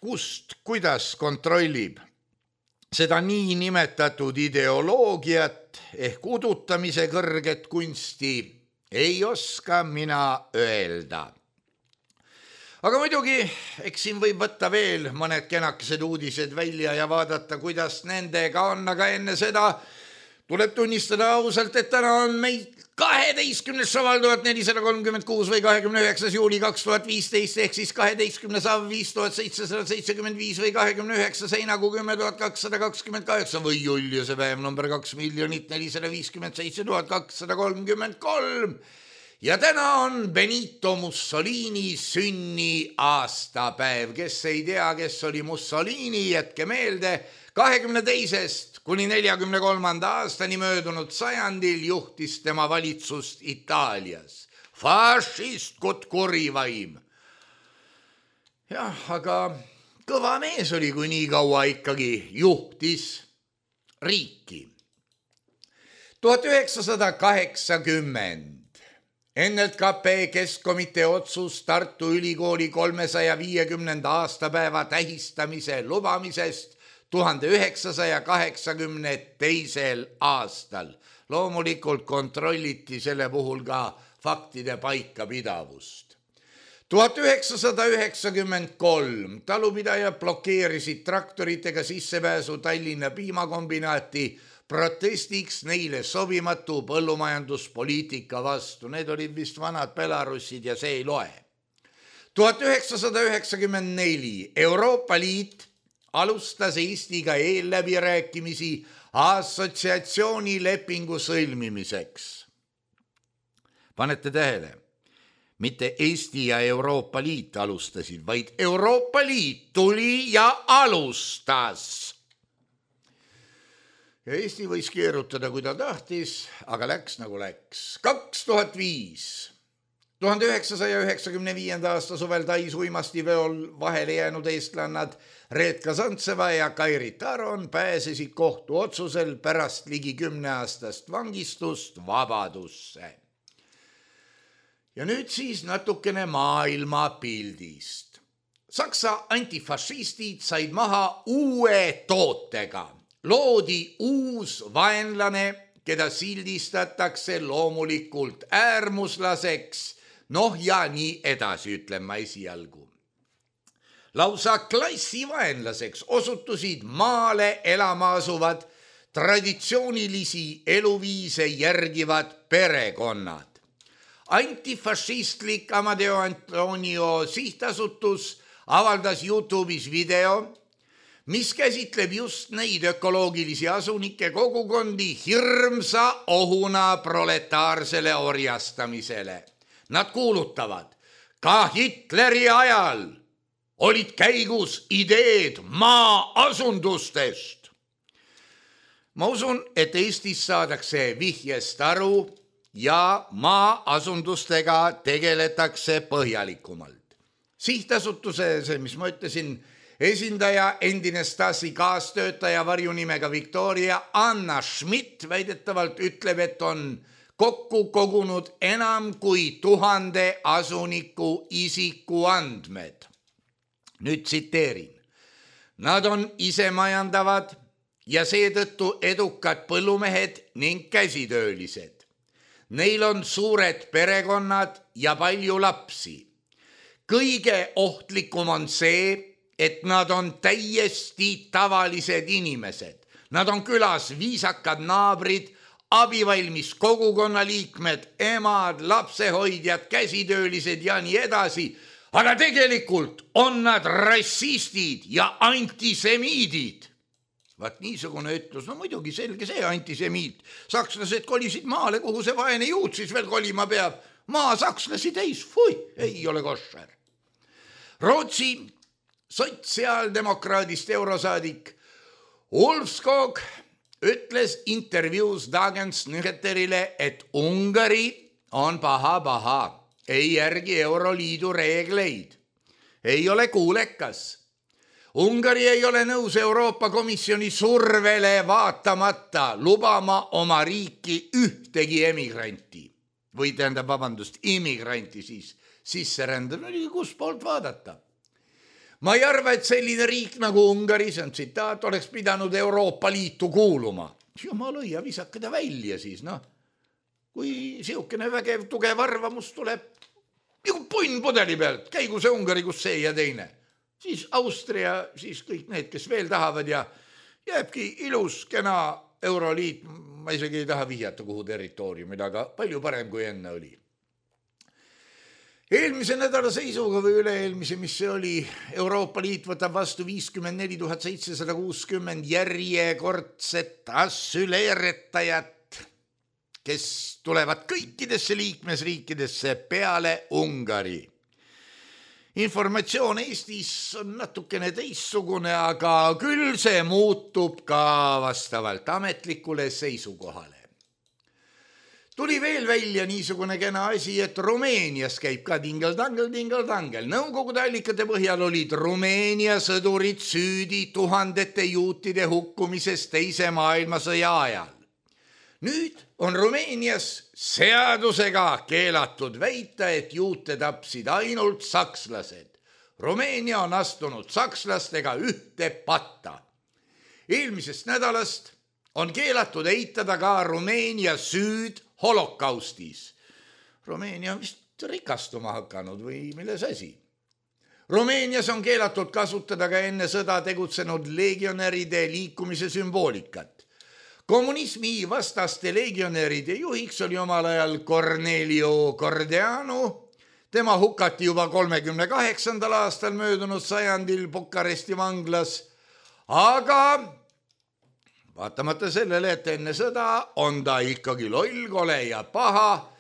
kust, kuidas kontrollib seda nii nimetatud ideoloogiat ehk udutamise kõrget kunsti, ei oska mina öelda. Aga muidugi, eks siin võib võtta veel mõned kenakesed uudised välja ja vaadata, kuidas nendega on, aga enne seda tuleb tunnistada ausalt, et täna on meid 12. saval 1436 või 29. juuli 2015 ehk siis 12. sav 5775 või 29. seinakuu 10.228 või Juliuse päev number 2,457,233. Ja täna on Benito Mussolini sünniaastapäev. Kes ei tea, kes oli Mussolini, jätke meelde, 22. kuni 43. aastani möödunud sajandil juhtis tema valitsust Itaalias. Fašistkut kurivaim. Jah, aga kõva mees oli, kui nii kaua ikkagi juhtis riiki. 1980. NLKP Keskkomitee otsus Tartu Ülikooli 350. aastapäeva tähistamise lubamisest 1982. aastal. Loomulikult kontrolliti selle puhul ka faktide paikapidavust. 1993 talupidajad blokeerisid traktoritega sissepääsu Tallinna piimakombinaati protestiks neile sobimatu põllumajanduspoliitika vastu. Need olid vist vanad Belarussid ja see ei loe. 1994 Euroopa Liit alustas Eestiga eelläbirääkimisi assotsiatsioonilepingu sõlmimiseks. Panete tähele, mitte Eesti ja Euroopa Liit alustasid, vaid Euroopa Liit tuli ja alustas. Ja Eesti võis keerutada, kui ta tahtis, aga läks nagu läks. 2005. 1995. aasta suvel Tais uimastiveol vahele jäänud eestlannad Reetka Santseva ja Kairi Taron pääsesid kohtu otsusel pärast ligi 10 aastast vangistust vabadusse. Ja nüüd siis natukene maailmapildist. Saksa antifašistid said maha uue tootega. Loodi uus vaenlane, keda sildistatakse loomulikult äärmuslaseks, ja nii edasi, ütlen ma esialgu. Lausa klassivaenlaseks osutusid maale elama asuvad traditsioonilisi eluviise järgivad perekonnad. Antifašistlik Amadeo Antonio sihtasutus avaldas YouTube'is video, mis käsitleb just neid ökoloogilisi asunike kogukondi hirmsa ohuna proletaarsele orjastamisele. Nad kuulutavad, ka Hitleri ajal olid käigus ideed maa-asundustest. Ma usun, et Eestis saadakse vihjest aru ja maa-asundustega tegeletakse põhjalikumalt. Sihtasutuse, mis ma ütlesin, esindaja, endine Stasi kaastöötaja varjunimega Victoria Anna Schmidt väidetavalt ütleb, et on kokku kogunud enam kui 1000 asuniku isikuandmed. Nüüd tsiteerin. Nad on isemajandavad, ja seetõttu edukad põllumehed ning käsitöölised. Neil on suured perekonnad ja palju lapsi. Kõige ohtlikum on see, et nad on täiesti tavalised inimesed. Nad on külas viisakad naabrid, abivalmis kogukonnaliikmed, emad, lapsehoidjad, käsitöölised ja nii edasi. Aga tegelikult on nad rassistid ja antisemiidid. Vaat niisugune ütlus, no muidugi selge see antisemiit. Sakslased kolisid maale, kuhu see vaene juut siis veel kolima peab. Maa sakslasi täis, ei ole koššer. Rootsi sotsiaaldemokraadist eurosaadik Ulfskog ütles intervjuus Dagens Nyheterile, et Ungari on paha, ei järgi Euroliidu reegleid, ei ole kuulekas. Ungari ei ole nõus Euroopa Komisjoni survele vaatamata lubama oma riiki ühtegi emigranti või immigranti siis sisserändab, kus poolt vaadata. Ma ei arva, et selline riik nagu Ungari, see on tsitaat, oleks pidanud Euroopa Liitu kuuluma. Jumal õia, visake ta välja siis, Kui siukene vägev, tugev arvamus tuleb, nagu punn pudeli pealt, käigu see Ungari, kus see ja teine. Siis Austria, siis kõik need, kes veel tahavad ja jääbki ilus, kena Euroliit, ma isegi ei taha vihjata kuhu territooriumid, aga palju parem kui enne oli. Eelmise nädala seisuga või üle-eelmise, mis see oli, Euroopa Liit võtab vastu 54 760 järjekordset asüleeretajat, kes tulevad kõikidesse liikmesriikidesse peale Ungari. Informatsioon Eestis on natukene teissugune, aga küll see muutub ka vastavalt ametlikule seisukohale. Tuli veel välja niisugune kena asi, et Rumeenias käib ka tingeldangel. Nõukogude allikate põhjal olid Rumeenia sõdurid süüdi tuhandete juutide hukkumises teise maailmasõja ajal. Nüüd on Rumeenias seadusega keelatud väita, et juute tapsid ainult sakslased. Rumeenia on astunud sakslastega ühte patta. Eelmisest nädalast on keelatud eitada ka Rumeenia süüd holokaustis. Rumeenia on vist rikastuma hakanud või milles asi. Rumeenias on keelatud kasutada ka enne sõda tegutsenud legionäride liikumise sümboolikat. Kommunismi vastaste legionäride juhiks oli omal ajal Cornelio Cordeanu. Tema hukati juba 38. aastal möödunud sajandil Bukaresti vanglas, aga vaatamata sellele, et enne sõda on ta ikkagi loll, kole ja paha.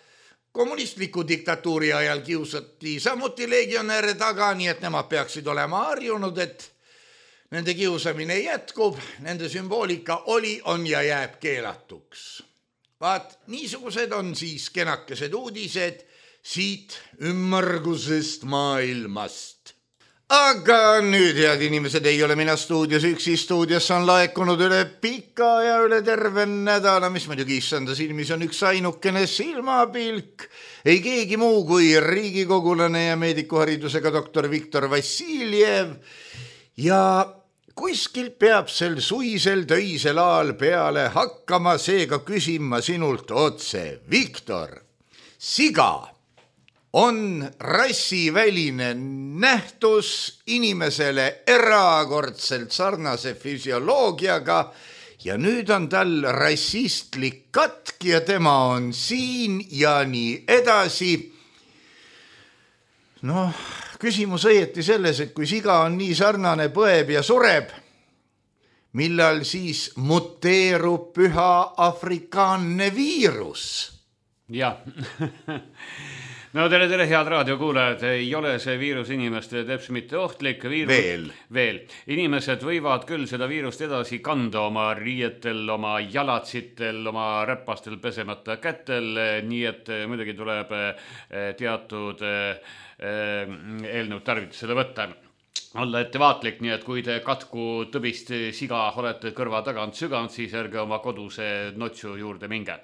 Kommunistliku diktatuuri ajal kiusati samuti legionäre taga, nii et nemad peaksid olema harjunud, et nende kiusamine jätkub, nende sümboolika oli, on ja jääb keelatuks. Vaat, niisugused on siis kenakesed uudised siit ümmargusest maailmast. Aga nüüd, head inimesed, ei ole mina stuudios üksi, stuudios on laekunud üle pika ja üle terve nädala, mis muidugi issanda silmis on üks ainukene silmapilk. Ei keegi muu kui riigikogulane ja meedikuharidusega doktor Viktor Vassiljev. Ja kuskilt peab sel suisel töisel aal peale hakkama, seega küsin ma sinult otse. Viktor, siga on rassiväline nähtus inimesele erakordselt sarnase füsioloogiaga ja nüüd on tal rassistlik katk ja tema on siin ja nii edasi. Küsimus õieti selles, et kui siga on nii sarnane, põeb ja sureb, millal siis muteerub püha afrikaanne viirus? Jah. No tere, head raadiokuulajad, ei ole see viirus inimestele teps mitte ohtlik. Veel. Inimesed võivad küll seda viirust edasi kanda oma riietel, oma jalatsitel, oma räpastel pesemata kätel, nii et muidugi tuleb teatud eelnõud tarvitusele võtta. Olla ettevaatlik, nii et kui te katku tõbist siga olete kõrva tagant süganud, siis ärge oma koduse notsu juurde minge.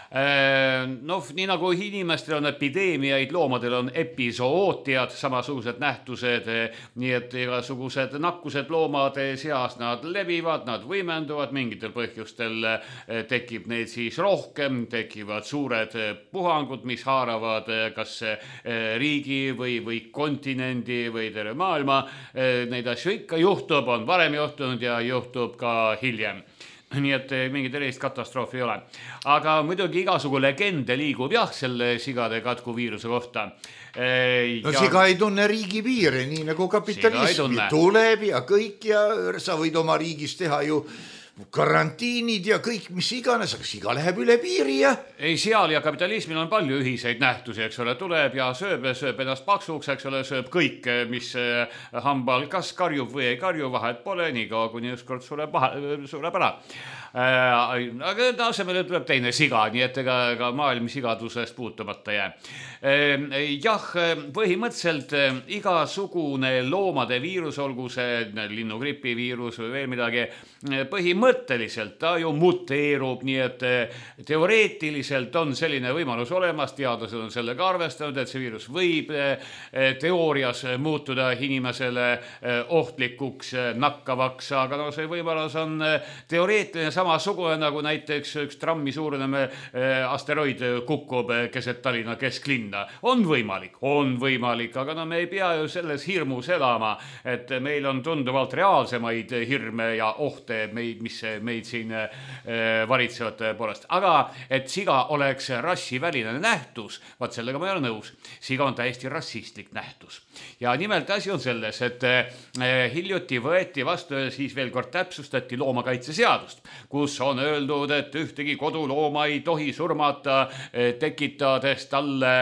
Nii nagu inimestel on epideemiaid, loomadel on episootiad, samasugused nähtused, nii et igasugused nakkused loomade seas, nad levivad, nad võimenduvad, mingitel põhjustel tekib neid siis rohkem, tekivad suured puhangud, mis haaravad kas riigi või kontinendi või terve maailma. Neid asju ikka juhtub, on varem juhtunud ja juhtub ka hiljem. Nii et mingit erist katastroofi ei ole. Aga muidugi igasugu legende liigub selle sigade katkuviiruse kohta. Siga ei tunne riigipiire, nii nagu kapitalismi tuleb ja kõik ja sa võid oma riigis teha ju karantiinid ja kõik, mis iganes, aga siga läheb üle piiri ja... Ei, seal ja kapitalismil on palju ühiseid nähtusi, eks ole, tuleb ja sööb ennast paksuks, eks ole, sööb kõik, mis hambal kas karjub või ei karju, vahet pole, nii kaua kuni ükskord sureb ära. Aga asemele tuleb teine siga, nii et ega maailm sigadusest puutumata jää. Jah, põhimõtteliselt igasugune loomade viirus, olgu see linnugripi viirus või veel midagi, põhimõtteliselt ta ju muteerub, nii et teoreetiliselt on selline võimalus olemas, teadlased on sellega arvestanud, et see viirus võib teoorias muutuda inimesele ohtlikuks, nakkavaks, aga see võimalus on teoreetiline samasugune, nagu näiteks üks trammi suurune asteroid kukub keset Tallinna kesklinna. On võimalik, aga me ei pea ju selles hirmus elama, et meil on tunduvalt reaalsemaid hirme ja ohte, mis meid siin varitsevad poolest. Aga et siga oleks rassiväline nähtus, vaat sellega ma ei ole nõus. Siga on täiesti rassistlik nähtus. Ja nimelt asi on selles, et hiljuti võeti vastu ja siis veel kord täpsustati loomakaitseseadust, kus on öeldud, et ühtegi kodulooma ei tohi surmata, tekitades talle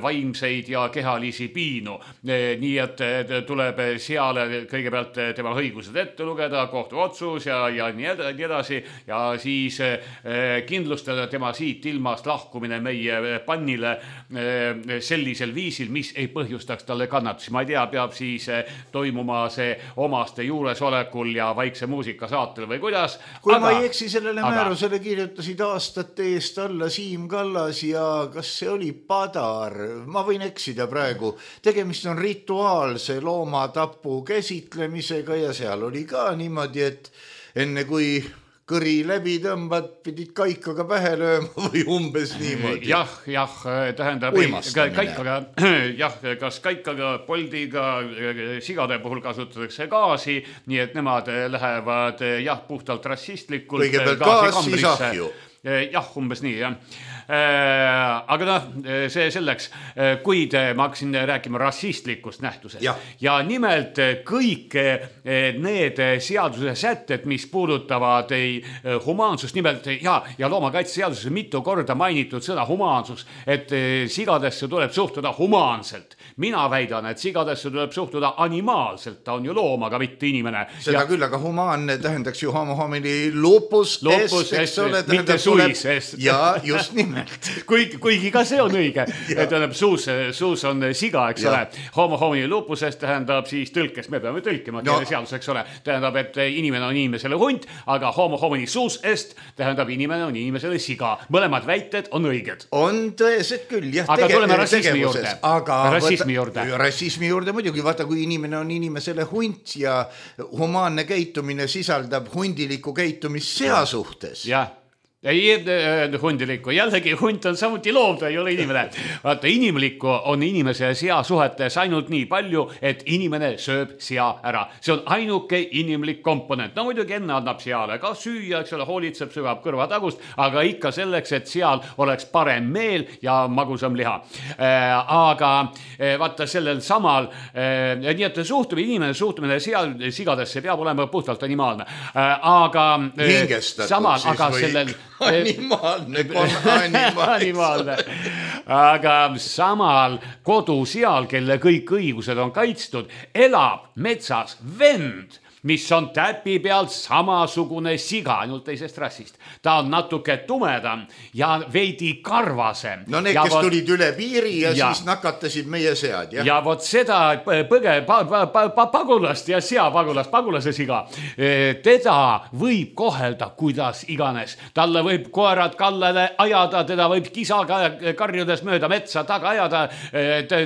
vaimseid ja kehalisi piinu. Nii et tuleb seal kõigepealt tema õigused ette lugeda, kohtuotsus ja nii edasi ja siis kindlustada tema siit ilmast lahkumine meie pannile sellisel viisil, mis ei põhjustaks talle kannatusi. Ma ei tea, peab siis toimuma see omaste juuresolekul ja vaikse muusika saatel või kuidas. Kui ma ei eksi, sellele määrusele kirjutasid aastate eest alla Siim Kallas ja kas see oli Padar? Ma võin eksida praegu. Tegemist on rituaalse loomatapu käsitlemisega ja seal oli ka niimoodi, et enne kui kõri läbi tõmbad, pidid kaikaga pähe lööma või umbes niimoodi. Jah, tähendab kaikaga, kas kaikaga, poldiga, sigade puhul kasutatakse gaasi, nii et nemad lähevad puhtalt rassistlikult. Kõigepealt gaas, siis ahju. Jah, umbes nii, jah. Aga see selleks, kuid ma hakkasin rääkima rassistlikust nähtusest. Ja nimelt kõik need seaduse sätted, mis puudutavad humaansust, nimelt ja loomakaitseseaduses mitu korda mainitud sõna humaansus, et sigadesse tuleb suhtuda humaanselt. Mina väidan, et sigadesse tuleb suhtuda animaalselt, ta on ju loom, aga mitte inimene. Seda küll, aga humaanne tähendaks ju homo homini lupus eks ole, mitte suis. Ja just nimelt. Kuigi ka see on õige, et suus on siga, eks ole. Homo homini lupusest tähendab siis tõlkes, me peame tõlkima seadus, eks ole. Tähendab, et inimene on inimesele hunt, aga homo homini suusest tähendab inimene on inimesele siga. Mõlemad väited on õiged. On tõesed küll, jah. Aga tuleme rassismi juurde. Rassismi juurde muidugi, vaata, kui inimene on inimesele hunt ja humaanne käitumine sisaldab hundiliku käitumist sea suhtes. Jah. Ei hundilikku, jällegi hunt on samuti loom, ta ei ole inimene. Vaata, inimlikku on inimese ja sea suhetes ainult nii palju, et inimene sööb sea ära. See on ainuke inimlik komponent. No muidugi enne annab seale ka süüa, eks ole, hoolitseb, sügab kõrvatagust, aga ikka selleks, et seal oleks parem meel ja magusam liha. Aga vaata sellel samal, nii et inimene suhtumine sigadesse peab olema puhtalt animaalne. Aga samal, aga sellel Animaalne. Aga samal kodu seal, kelle kõik õigused on kaitstud, elab metsas vend, mis on täpi pealt samasugune siga, ainult teisest rassist. Ta on natuke tumedam ja veidi karvasem. No need, kes tulid üle piiri ja siis nakatasid meie sead, jah? Ja vot seda pagulast ja pagulase siga, teda võib kohelda kuidas iganes. Talle võib koerad kallale ajada, teda võib kisaga karjudes mööda metsa taga ajada,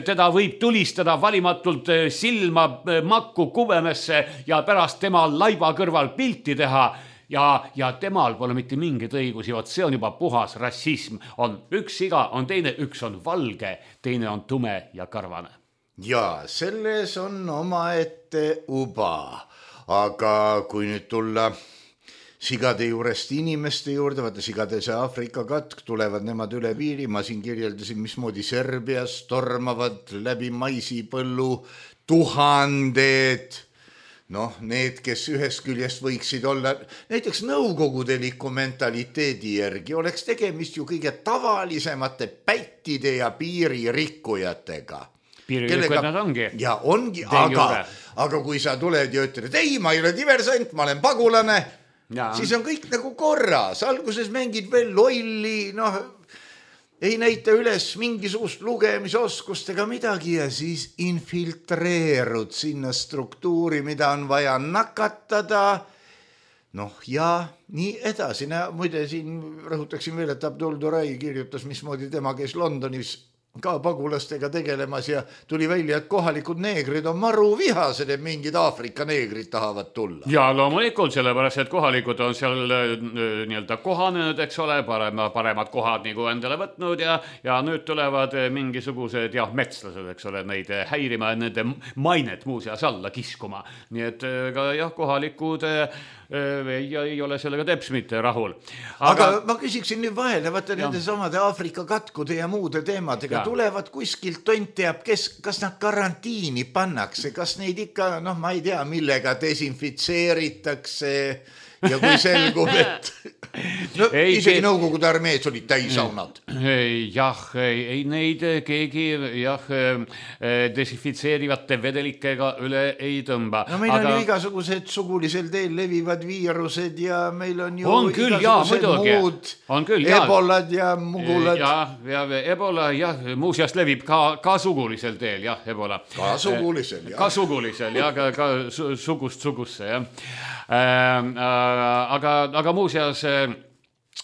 teda võib tulistada valimatult silma makku kubemesse ja pärast tema laiba kõrval pilti teha ja temal pole mitte mingeid õigusi, vot see on juba puhas rassism. On üks siga, on teine, üks on valge, teine on tume ja karvane. Ja selles on omaette uba, aga kui nüüd tulla sigade juurest inimeste juurde, vaata sigade see Aafrika katk, tulevad nemad üle piiri, ma siin kirjeldasin, mismoodi Serbias tormavad läbi maisipõllu tuhanded. Noh, need, kes ühest küljest võiksid olla näiteks nõukogudeliku mentaliteedi järgi, oleks tegemist ju kõige tavalisemate pättide ja piiririkkujatega. Piiririkkujad nad ongi. Ja ongi, aga kui sa tuled ja ütled, ei, ma ei ole diversant, ma olen pagulane, siis on kõik nagu korras. Alguses mängid veel lolli, noh, ei näita üles mingisugust lugemisoskust ega midagi ja siis infiltreerud sinna struktuuri, mida on vaja nakatada. Noh ja nii edasi. Muide siin rõhutaksin veel, et Abdul Durai kirjutas, mismoodi tema käis Londonis ka pagulastega tegelemas ja tuli välja, et kohalikud neegrid on maru vihased, et mingid Aafrika neegrid tahavad tulla. Ja loomulikult, sellepärast, et kohalikud on seal nii-öelda kohanenud, eks ole, paremad kohad nagu endale võtnud ja nüüd tulevad mingisugused metslased, eks ole, neid häirima ja nende mainet muuseas alla kiskuma. Nii et ka kohalikud ei ole sellega teps mitte rahul. Aga ma küsiksin nüüd vahele, vaata nende samade Aafrika katkude ja muude teemadega tulevad kuskilt tont teab, kas nad karantiini pannakse, kas neid ikka, ma ei tea, millega desinfitseeritakse ja kui selgub, et isegi Nõukogude armees olid täisaunad. Jah, ei neid keegi desinfitseerivate vedelikega üle ei tõmba. No meil on ju igasugused sugulisel teel levivad viirused ja meil on ju igasugused muud ebolad ja mugulad. Ja ebola, muuseas levib ka sugulisel teel, ebola. Ka sugulisel, Ka sugulisel, ka sugust sugusse, aga muuseas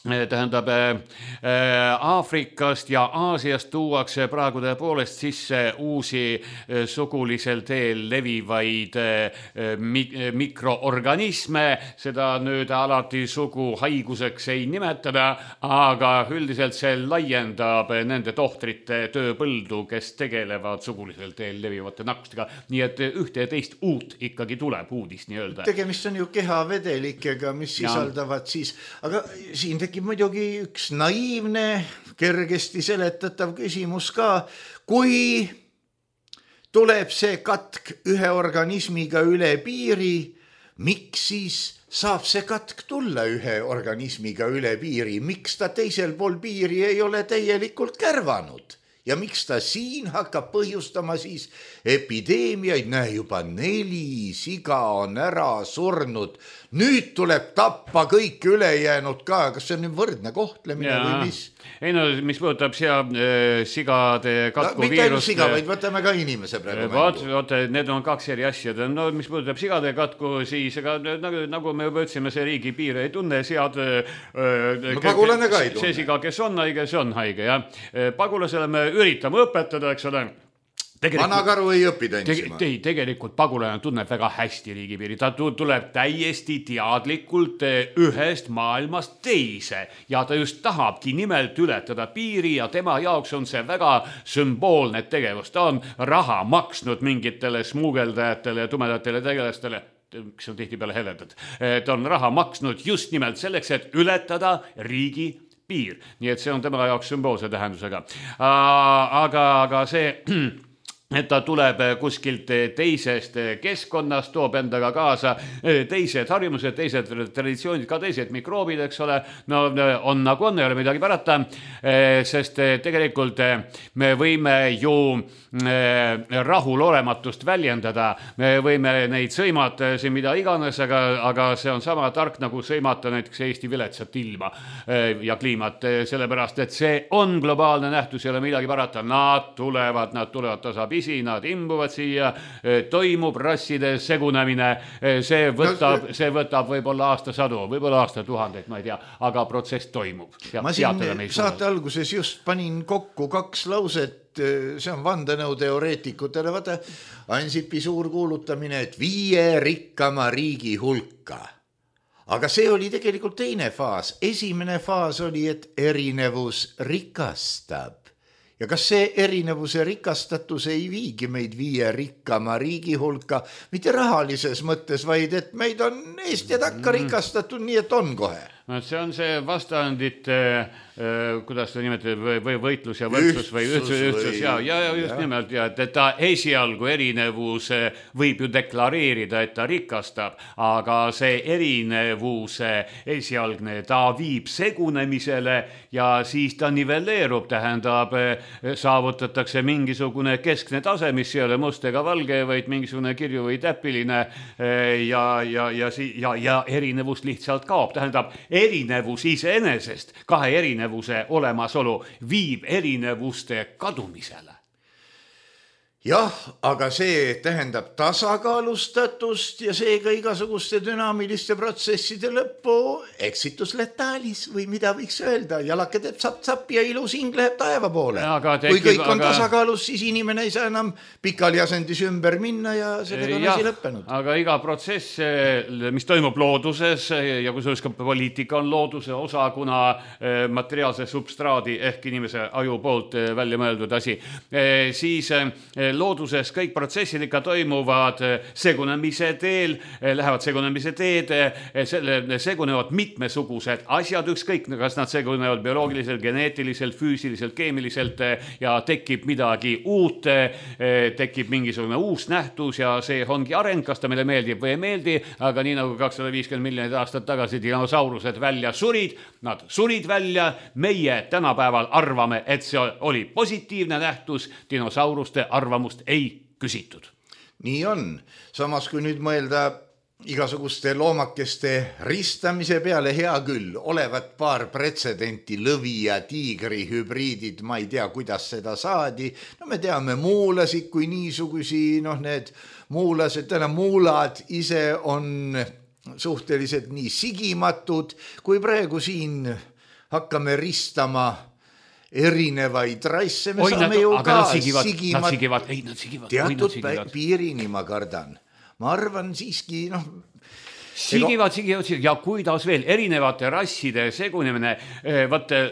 tähendab Aafrikast ja Aasiast tuuakse praegu tõepoolest sisse uusi sugulisel teel levivaid mikroorganisme, seda nüüd alati sugu haiguseks ei nimetada, aga üldiselt see laiendab nende tohtrite tööpõldu, kes tegelevad sugulisel teel levivate nakkustega, nii et ühte ja teist uut ikkagi tuleb uudis nii-öelda. Tegemist on ju kehavedelikega, mis sisaldavad siis, aga siin tekib muidugi üks naiivne, kergesti seletatav küsimus ka, kui tuleb see katk ühe organismiga üle piiri, miks siis saab see katk tulla ühe organismiga üle piiri, miks ta teisel pool piiri ei ole täielikult kärvanud? Ja miks ta siin hakkab põhjustama siis epideemiaid, näe juba 4 siga on ära surnud, nüüd tuleb tappa kõik ülejäänud ka, kas see on nüüd võrdne kohtlemine või mis? Ei no, mis puudutab sigade katku mitte ainult siga, vaid võtame ka inimese praegu mängu. Need on 2 eri asjad. No mis puudutab sigade katku, siis nagu me juba ütlesime, see riigi piire ei tunne, sead pagulane ka ei tunne. See siga, kes on haige, see on haige. Pagulasele me üritame õpetada, eks ole. Vanakaru ei õpi tantsima. Tegelikult pagulane tunneb väga hästi riigipiiri. Ta tuleb täiesti teadlikult ühest maailmast teise ja ta just tahabki nimelt ületada piiri ja tema jaoks on see väga sümboolne tegevus. Ta on raha maksnud mingitele smuugeldajatele ja tumedatele tegelastele, kes on tihtipeale heledad. Ta on raha maksnud just nimelt selleks, et ületada riigi piir. Nii et see on tema jaoks sümboolse tähendusega. Aga see et ta tuleb kuskilt teisest keskkonnast, toob endaga kaasa teised harjumused, teised traditsioonid, ka teised mikroobid, eks ole. No on nagu on, ei ole midagi parata, sest tegelikult me võime ju rahulolematust väljendada, me võime neid sõimata siin mida iganes, aga see on sama tark nagu sõimata näiteks Eesti viletsat ilma ja kliimat, sellepärast et see on globaalne nähtus, ei ole midagi parata. Nad tulevad tasapisi, nad imbuvad siia, toimub rasside segunemine, see võtab võib-olla aastasadu, võib-olla aastatuhandeid, ma ei tea, aga protsess toimub. Ma siin saate alguses just panin kokku 2 lauset, see on vandenõuteoreetikutele, vaata Ansipi suur kuulutamine, et 5 rikkama riigi hulka. Aga see oli tegelikult teine faas. Esimene faas oli, et erinevus rikastab. Ja kas see erinevuse rikastatus ei viigi meid 5 rikkama riigi hulka, mitte rahalises mõttes, vaid et meid on eest ja takka rikastatud, nii et on kohe. See on see vastandit, kuidas ta nimetab, või võitlus ja võrdsus või ühtsus ja just nimelt, ja et ta esialgu erinevus võib ju deklareerida, et ta rikastab, aga see erinevuse esialgne, ta viib segunemisele ja siis ta nivelleerub, tähendab, saavutatakse mingisugune keskne tase, mis ei ole must ega valge, vaid mingisugune kirju või täpiline ja erinevus lihtsalt kaob, tähendab, erinevus iseenesest, 2 erinevuse olemasolu viib erinevuste kadumisele. Jah, aga see tähendab tasakaalustatust ja seega igasuguste dünaamiliste protsesside lõppu eksitus letaalis või mida võiks öelda. Jalake teeb sapp ja ilus hing läheb taeva poole. Kui kõik on tasakaalus, siis inimene ei saa enam pikali asendis ümber minna ja sellega on asi lõppenud. Aga iga protsess, mis toimub looduses ja kusjuures ka poliitika on looduse osa, kuna materiaalse substraadi ehk inimese aju poolt välja mõeldud asi, siis looduses kõik protsessid ikka toimuvad segunemise teel, lähevad segunemise teed, segunevad mitmesugused asjad, ükskõik, kas nad segunevad bioloogiliselt, geneetiliselt, füüsiliselt, keemiliselt ja tekib midagi uut, tekib mingisugune uus nähtus ja see ongi areng, kas ta meile meeldib või ei meeldi, aga nii nagu 250 miljonit aastat tagasi dinosaurused välja surid, nad surid välja, meie tänapäeval arvame, et see oli positiivne nähtus, dinosauruste arvamust ei küsitud. Nii on. Samas kui nüüd mõelda igasuguste loomakeste ristamise peale, hea küll, olevat paar pretsedenti, lõvi ja tiigri hübriidid, ma ei tea, kuidas seda saadi. No me teame muulasid kui niisugusi, need muulased, muulad ise on suhteliselt nii sigimatud, kui praegu siin hakkame ristama erinevaid raisse, me saame ju ka sigivad. Teatud piirini ma kardan. Ma arvan siiski, Sigivad ja kuidas veel erinevate rasside segunemine.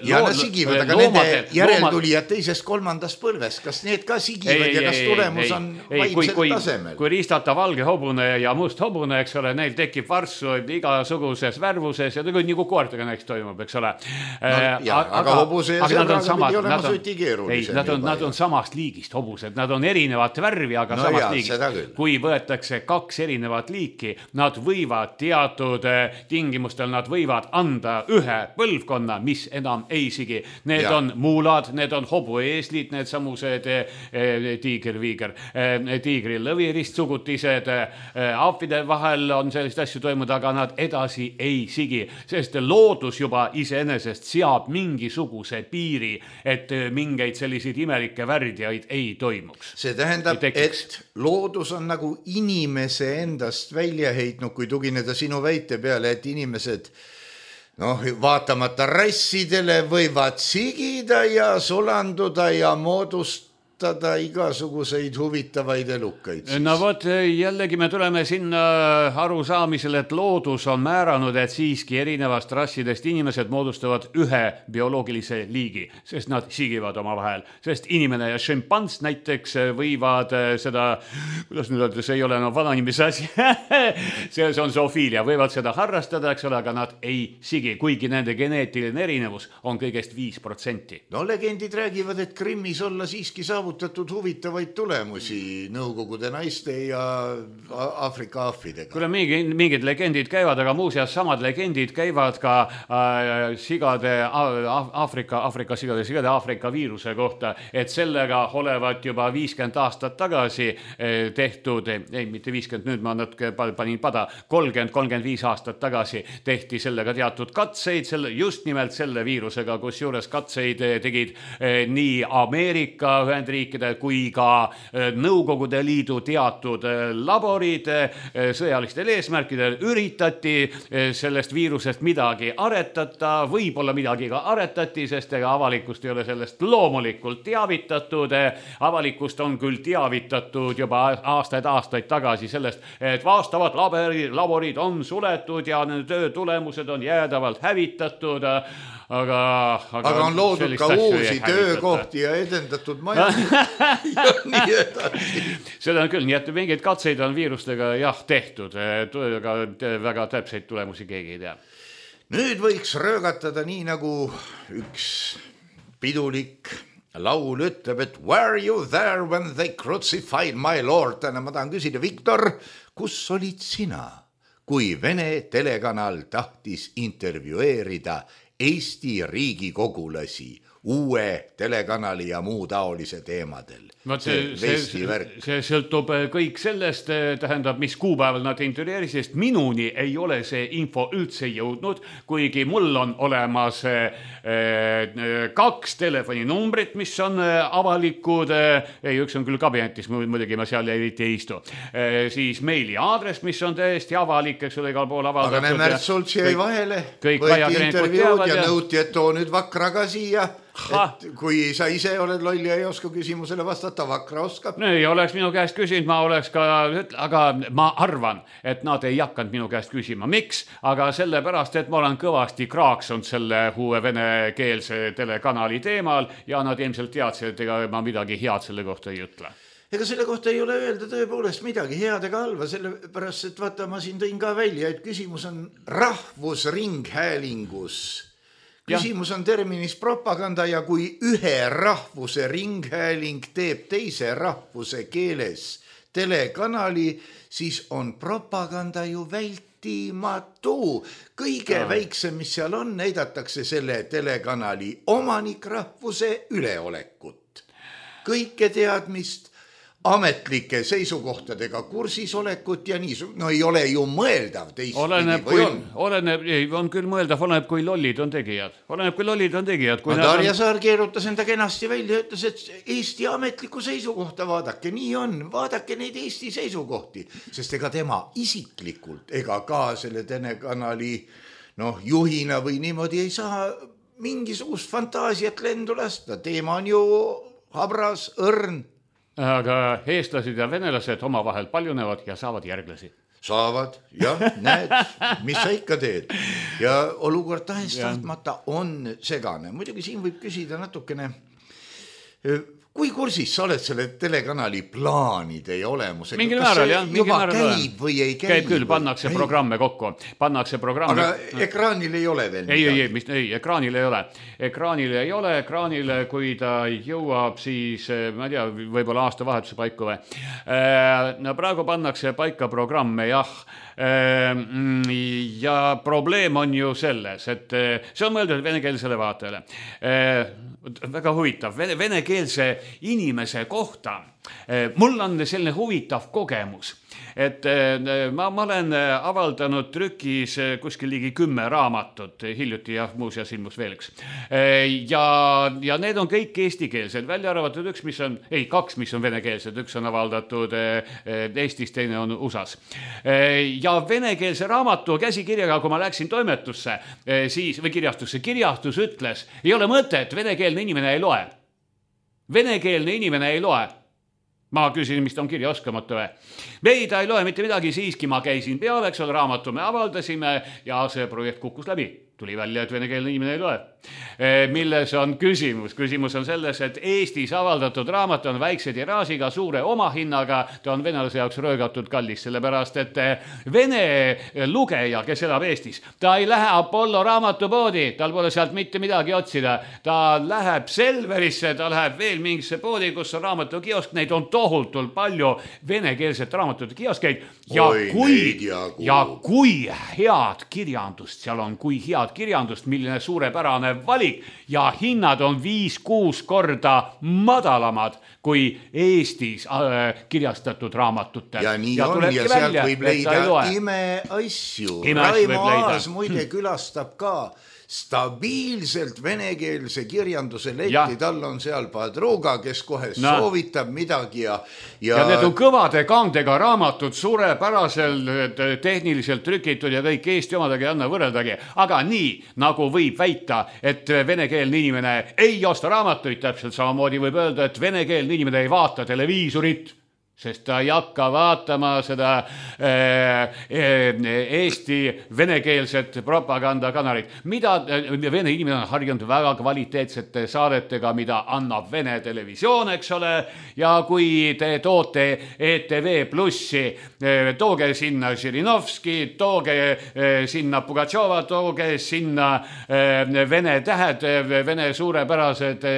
Ja nad sigivad, aga nende järeltulijad teisest 3. põlvest, kas need ka sigivad ja kas tulemus on vaimsel tasemel? Kui ristata valge hobune ja must hobune, eks ole, neil tekib varsu igasuguses värvuses ja nagu koertega näiteks toimub, eks ole. Aga hobuse ja sõbraga pidi olema süti keerulisem. Nad on samast liigist hobused, nad on erinevat värvi, aga samast liigist. Kui võetakse 2 erinevat liiki, nad võivad teatud tingimustel nad võivad anda ühe põlvkonna, mis enam ei sigi. Need on muulad, need on hobueeslid, need samused tiiger-viiger, tiigri-lõviristssugutised, aapide vahel on sellist asju toimunud, aga nad edasi ei sigi, sest loodus juba iseenesest seab mingisuguse piiri, et mingeid selliseid imelikke värdjaid ei toimuks. See tähendab, et loodus on nagu inimese endast välja heitnud, kui tugineda sinu väite peale, et inimesed vaatamata rassidele võivad sigida ja sulanduda ja moodustada igasuguseid huvitavaid elukaid. No vot, jällegi me tuleme sinna arusaamisele, et loodus on määranud, et siiski erinevast rassidest inimesed moodustavad ühe bioloogilise liigi, sest nad sigivad oma vahel. Sest inimene ja šimpans näiteks võivad seda, kuidas nüüd öelda, see ei ole vananimise asi, see on zoofiilia, võivad seda harrastada, eks ole, aga nad ei sigi, kuigi nende geneetiline erinevus on kõigest 5%. No legendid räägivad, et Krimmis olla siiski saavutatud saavutatud huvitavaid tulemusi Nõukogude naiste ja Aafrika ahvidega. Kuule, mingid legendid käivad, aga muuseas samad legendid käivad ka sigade Aafrika viiruse kohta, et sellega olevat juba 50 aastat tagasi tehtud, mitte 50, nüüd ma natuke panin pada, 30-35 aastat tagasi tehti sellega teatud katseid, just nimelt selle viirusega, kus juures katseid tegid nii Ameerika Ühendriikide kui ka Nõukogude Liidu teatud laborid sõjalistel eesmärkidel. Üritati sellest viirusest midagi aretada, võib-olla midagi ka aretati, sest ega avalikust ei ole sellest loomulikult teavitatud. Avalikust on küll teavitatud juba aastaid tagasi sellest, et vastavad laborid on suletud ja nende töö tulemused on jäädavalt hävitatud. Aga on loodud ka uusi töökohti ja edendatud majandust ja nii edasi. Seda on küll, nii et mingeid katseid on viirustega tehtud, aga väga täpseid tulemusi keegi ei tea. Nüüd võiks röögatada nii nagu üks pidulik laul ütleb, et were you there when they crucified my lord? Ma tahan küsida, Viktor, kus olid sina, kui Vene telekanal tahtis intervjueerida Eesti riigikogulasi uue telekanali ja muu taolise teemadel? See sõltub kõik sellest, tähendab, mis kuupäeval nad intervjueerisid, sest minuni ei ole see info üldse jõudnud, kuigi mul on olemas 2 telefoninumbrit, mis on avalikud, üks on küll kabinetis, muidugi ma seal ei istu, siis meili aadress, mis on täiesti avalik, eks ole, igal pool avaldatud. Aga Märt Sults jäi vahele, võeti intervjuud ja nõuti, et too nüüd Vakra ka siia. Et kui sa ise oled loll ja ei oska küsimusele vastata, Vakra oskab. Ei oleks minu käest küsinud, ma oleks ka, aga ma arvan, et nad ei hakanud minu käest küsima. Miks? Aga sellepärast, et ma olen kõvasti kraaksunud selle uue venekeelse telekanali teemal ja nad ilmselt teadsid, et ega ma midagi head selle kohta ei ütle. Ega selle kohta ei ole öelda tõepoolest midagi head ega halva, sellepärast, et vaata, ma siin tõin ka välja, et küsimus on rahvusringhäälingus. Küsimus on terminis propaganda ja kui ühe rahvuse ringhääling teeb teise rahvuse keeles telekanali, siis on propaganda ju vältimatu. Kõige väiksem, mis seal on, näidatakse selle telekanali omanikrahvuse üleolekut. Kõike teadmist, ametlike seisukohtadega kursisolekut ja nii, no ei ole ju mõeldav teistpidi või on? On küll mõeldav, oleneb kui lollid on tegijad. Darja Saar keerutas enda kenasti välja ja ütles, et Eesti ametliku seisukohta vaadake, nii on, vaadake neid Eesti seisukohti, sest ega tema isiklikult ega ka selle telekanali juhina või niimoodi ei saa mingisugust fantaasiat lendu lasta. Teema on ju habras, õrn. Aga eestlased ja venelased omavahel paljunevad ja saavad järglasi. Saavad, jah, näed, mis sa ikka teed. Ja olukord tahtmata on segane. Muidugi siin võib küsida natukene, kui kursis sa oled selle telekanali plaanide ja olemusega? Mingil määral, jah. Juba käib või ei käib? Käib küll, pannakse programme kokku. Aga ekraanil ei ole veel midagi? Ei, ekraanil ei ole. Ekraanile, kui ta jõuab, siis, ma ei tea, võib-olla aastavahetuse paiku või. No praegu pannakse paika programme, jah. Ja probleem on ju selles, et see on mõeldud venekeelsele vaatajale. Väga huvitav, venekeelse inimese kohta. Mul on selline huvitav kogemus, et ma olen avaldanud trükis kuskil ligi 10 raamatut, hiljuti ja muuseas ilmus veel üks. Ja need on kõik eestikeelsed, välja arvatud kaks, mis on venekeelsed, üks on avaldatud Eestis, teine on USAs. Ja venekeelse raamatu käsikirjaga, kui ma läksin toimetusse või kirjastus ütles, ei ole mõtet, venekeelne inimene ei loe. Ma küsin, mis ta on kirja oskamatu või? Ei, ta ei loe mitte midagi, siiski ma käisin peale, eks ole, raamatu me avaldasime ja see projekt kukkus läbi. tuli välja, et venekeelne inimene ei loe. Milles on küsimus? Küsimus on selles, et Eestis avaldatud raamat on väikse tiraažiga, suure omahinnaga, ta on venelase jaoks röögatud kallis, sellepärast et vene lugeja, kes elab Eestis, ta ei lähe Apollo raamatupoodi, tal pole sealt mitte midagi otsida, ta läheb Selverisse, ta läheb veel mingisse poodi, kus on raamatukiosk, neid on tohutult palju venekeelset raamatute kioskeid ja kui head kirjandust seal on, kui head kirjandust, milline suurepärane valik ja hinnad on 5-6 korda madalamad kui Eestis kirjastatud raamatutel. Ja nii on ja sealt võib leida imeasju. Raimo Aas muide külastab ka stabiilselt venekeelse kirjanduse letti, tal on seal padruga, kes kohe soovitab midagi ja need on kõvade kandega raamatud, suurepäraselt tehniliselt trükitud ja kõik Eesti omadagi ei anna võrreldagi, aga nii nagu võib väita, et venekeelne inimene ei osta raamatuid, täpselt samamoodi võib öelda, et venekeelne inimene ei vaata televiisorit, sest ta ei hakka vaatama seda Eesti venekeelset propagandakanalit. Mida vene inimene on harjunud väga kvaliteetsete saadetega, mida annab Vene televisioon, eks ole, ja kui te toote ETV Plussi, tooge sinna Žirinovski, tooge sinna Pugatšova, tooge sinna Vene tähed, Vene suurepärased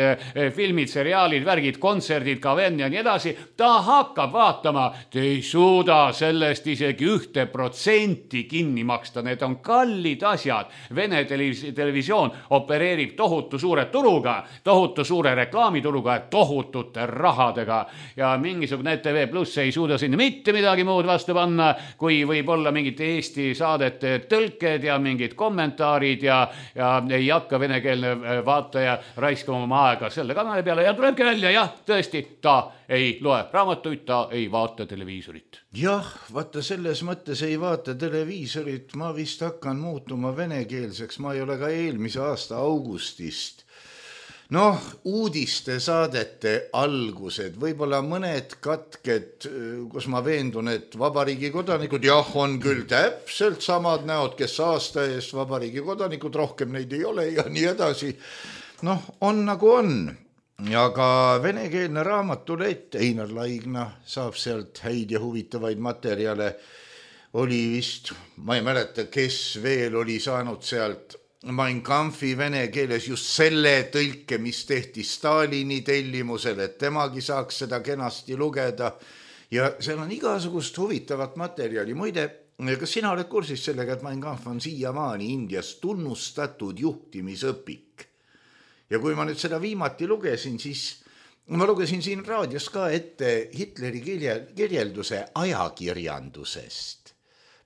filmid, seriaalid, värgid, kontserdid, KVN ja nii edasi, ta hakkab vaatama, te ei suuda sellest isegi 1% kinni maksta, need on kallid asjad. Vene televisioon opereerib tohutu suure turuga, tohutu suure reklaamituruga ja tohutute rahadega ja mingisugune ETV Plus ei suuda sinna mitte midagi muud vastu panna, kui võib olla mingid Eesti saadete tõlked ja mingid kommentaarid ja ei hakka venekeelne vaataja raiskama oma aega selle kanali peale ja tulebki välja, jah, tõesti, ta ei loe raamatuid, ta ei vaata televiisorit. Jah, vaata selles mõttes ei vaata televiisorit, ma vist hakkan muutuma venekeelseks, ma ei ole ka eelmise aasta augustist. Uudiste saadete algused, võib-olla mõned katked, kus ma veendun, et vabariigi kodanikud, jah, on küll täpselt samad näod, kes aasta eest vabariigi kodanikud, rohkem neid ei ole ja nii edasi. On nagu on. Aga venekeelne raamatulett, Einar Laigna saab sealt häid ja huvitavaid materjale, oli vist, ma ei mäleta, kes veel oli saanud sealt Mein Kampfi vene keeles just selle tõlke, mis tehti Stalini tellimusel, et temagi saaks seda kenasti lugeda ja seal on igasugust huvitavat materjali. Muide, kas sina oled kursis sellega, et Mein Kampf on siiamaani Indias tunnustatud juhtimisõpik? Ja kui ma nüüd seda viimati lugesin, siis ma lugesin siin raadios ka ette Hitleri kirjelduse ajakirjandusest.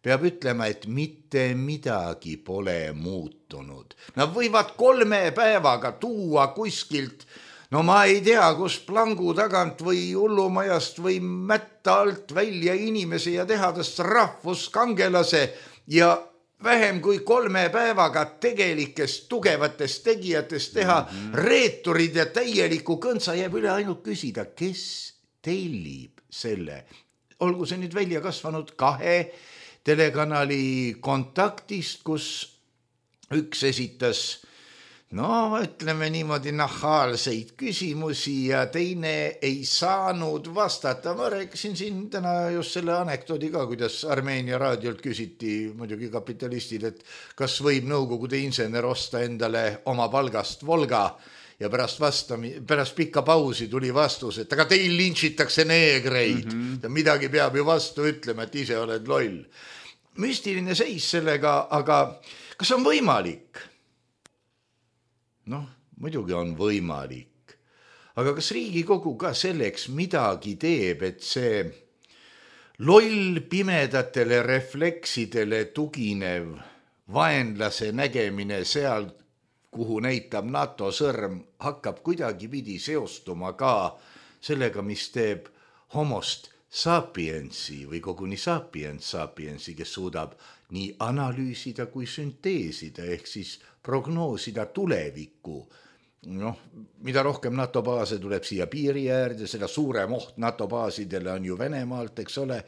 Peab ütlema, et mitte midagi pole muutunud. Nad võivad 3 päevaga tuua kuskilt, ma ei tea, kus plangu tagant või hullumajast või mätta alt välja inimese ja teha tast rahvuskangelase ja vähem kui 3 päevaga tegelikest tugevatest tegijatest teha reeturid ja täieliku kõntsa jääb üle ainult küsida, kes tellib selle. Olgu see nüüd välja kasvanud 2 telekanali kontaktist, kus üks esitas ütleme niimoodi nahaalseid küsimusi ja teine ei saanud vastata. Ma rääkisin siin täna just selle anekdoodi ka, kuidas Armeenia raadiolt küsiti muidugi kapitalistid, et kas võib Nõukogude insener osta endale oma palgast Volga ja pärast pikka pausi tuli vastus, et aga teil lintšitakse neegreid. Midagi peab ju vastu ütlema, et ise oled loll. Müstiline seis sellega, aga kas on võimalik? Muidugi on võimalik. Aga kas Riigikogu ka selleks midagi teeb, et see loll pimedatele refleksidele tuginev vaenlase nägemine seal, kuhu näitab NATO sõrm, hakkab kuidagipidi seostuma ka sellega, mis teeb homost sapiensi või koguni sapiensi, kes suudab nii analüüsida kui sünteesida, ehk siis prognoosida tulevikku. Mida rohkem NATO baase tuleb siia piiri äärde, seda suurem oht NATO baasidele on ju Venemaalt, eks ole.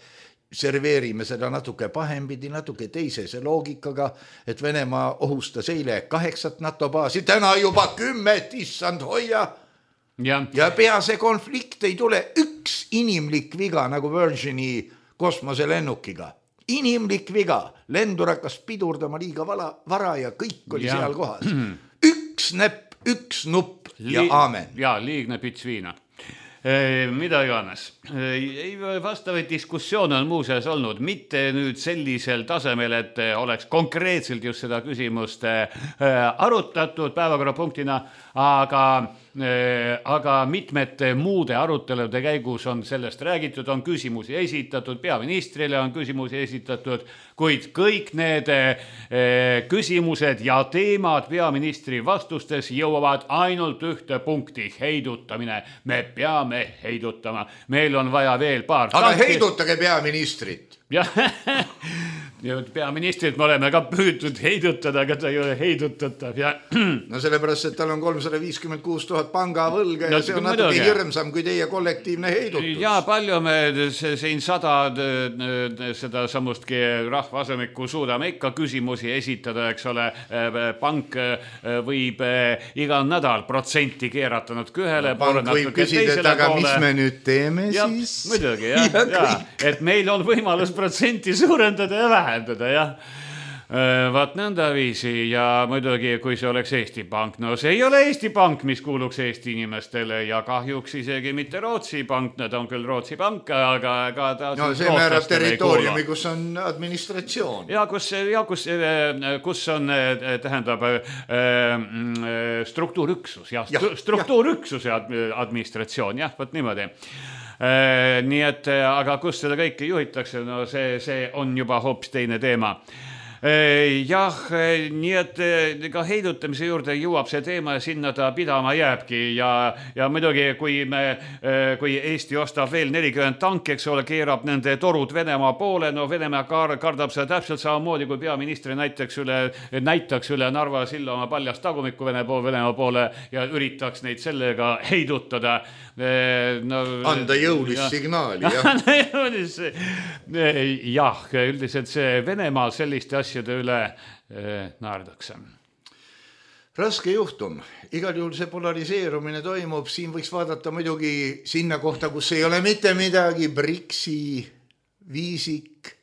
serveerime seda natuke pahempidi, natuke teisese loogikaga, et Venemaa ohustas eile 8 NATO baasi, täna juba 10, issand hoia. Ja pea see konflikt ei tule üks inimlik viga nagu Virgini kosmoselennukiga. Inimlik viga, lendur hakkas pidurdama liiga vara ja kõik oli seal kohas. Üks näpp, üks nupp ja aamen. Ja liigne pits viina. Mida iganes. Vastavaid diskussioone on muuseas olnud, mitte nüüd sellisel tasemel, et oleks konkreetselt just seda küsimust arutatud päevakorrapunktina, aga mitmete muude arutelude käigus on sellest räägitud, on küsimusi esitatud, peaministrile on küsimusi esitatud, kuid kõik need küsimused ja teemad peaministri vastustes jõuavad ainult ühte punkti, heidutamine. Me peame heidutama. Meil on vaja veel paar. Aga heidutage peaministrit. Ja peaministrit me oleme ka püütud heidutada, aga ta ei ole heidutatav. No sellepärast, et tal on 356 000 pangavõlga ja see on natuke hirmsam kui teie kollektiivne heidutus. Ja palju me siin 100 seda samustki rahvaasemiku suudame ikka küsimusi esitada, eks ole. Pank võib igal nädal protsenti keerata natuke ühele poole, natuke teisele poole. Mis me nüüd teeme siis? Muidugi, et meil on võimalus protsenti suurendada ja vähendada, jah. Vaat nõnda viisi ja muidugi, kui see oleks Eesti Pank, no see ei ole Eesti Pank, mis kuuluks Eesti inimestele ja kahjuks isegi mitte Rootsi Pank, nad on küll Rootsi Pank, aga ta no see määrab territooriumi, kus on administratsioon. Ja kus on, tähendab, struktuurüksus, struktuurüksuse administratsioon, jah, võt niimoodi. Nii et, aga kus seda kõike juhitakse, no see on juba hoopis teine teema. Jah, nii et ka heidutamise juurde jõuab see teema ja sinna ta pidama jääbki ja muidugi, kui Eesti ostab veel 40 tanki, eks ole, keerab nende torud Venemaa poole, no Venemaa kardab seda täpselt samamoodi, kui peaministri näitaks üle Narva silla oma paljast tagumikku Venemaa poole ja üritaks neid sellega heidutada. No, anda jõulist signaali, jah, üldiselt see Venemaa selliste asjade üle naerdakse. Raske juhtum. Igal juhul see polariseerumine toimub. Siin võiks vaadata muidugi sinna kohta, kus ei ole mitte midagi. BRICS-i, Viisik.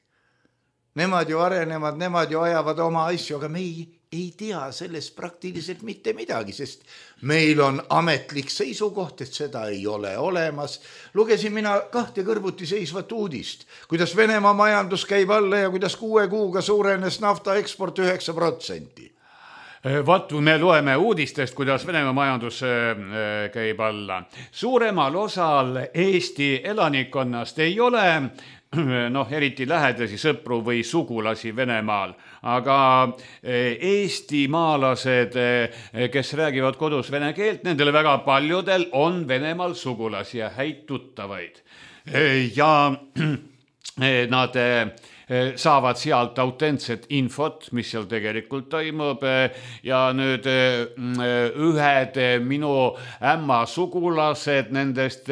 Nemad ju arenevad, nemad ju ajavad oma asju, aga me ei tea sellest praktiliselt mitte midagi, sest meil on ametlik seisukoht, et seda ei ole olemas. Lugesin mina 2 kõrvuti seisvat uudist, kuidas Venemaa majandus käib alla ja kuidas 6 kuuga suurenes nafta eksport 9%. Vaat me loeme uudistest, kuidas Venemaa majandus käib alla. Suuremal osal Eesti elanikkonnast ei ole eriti lähedasi sõpru või sugulasi Venemaal, aga eestimaalased, kes räägivad kodus vene keelt, nendele väga paljudel on Venemaal sugulasi ja häid tuttavaid. Ja nad saavad sealt autentset infot, mis seal tegelikult toimub ja nüüd ühed minu ämma sugulased, nendest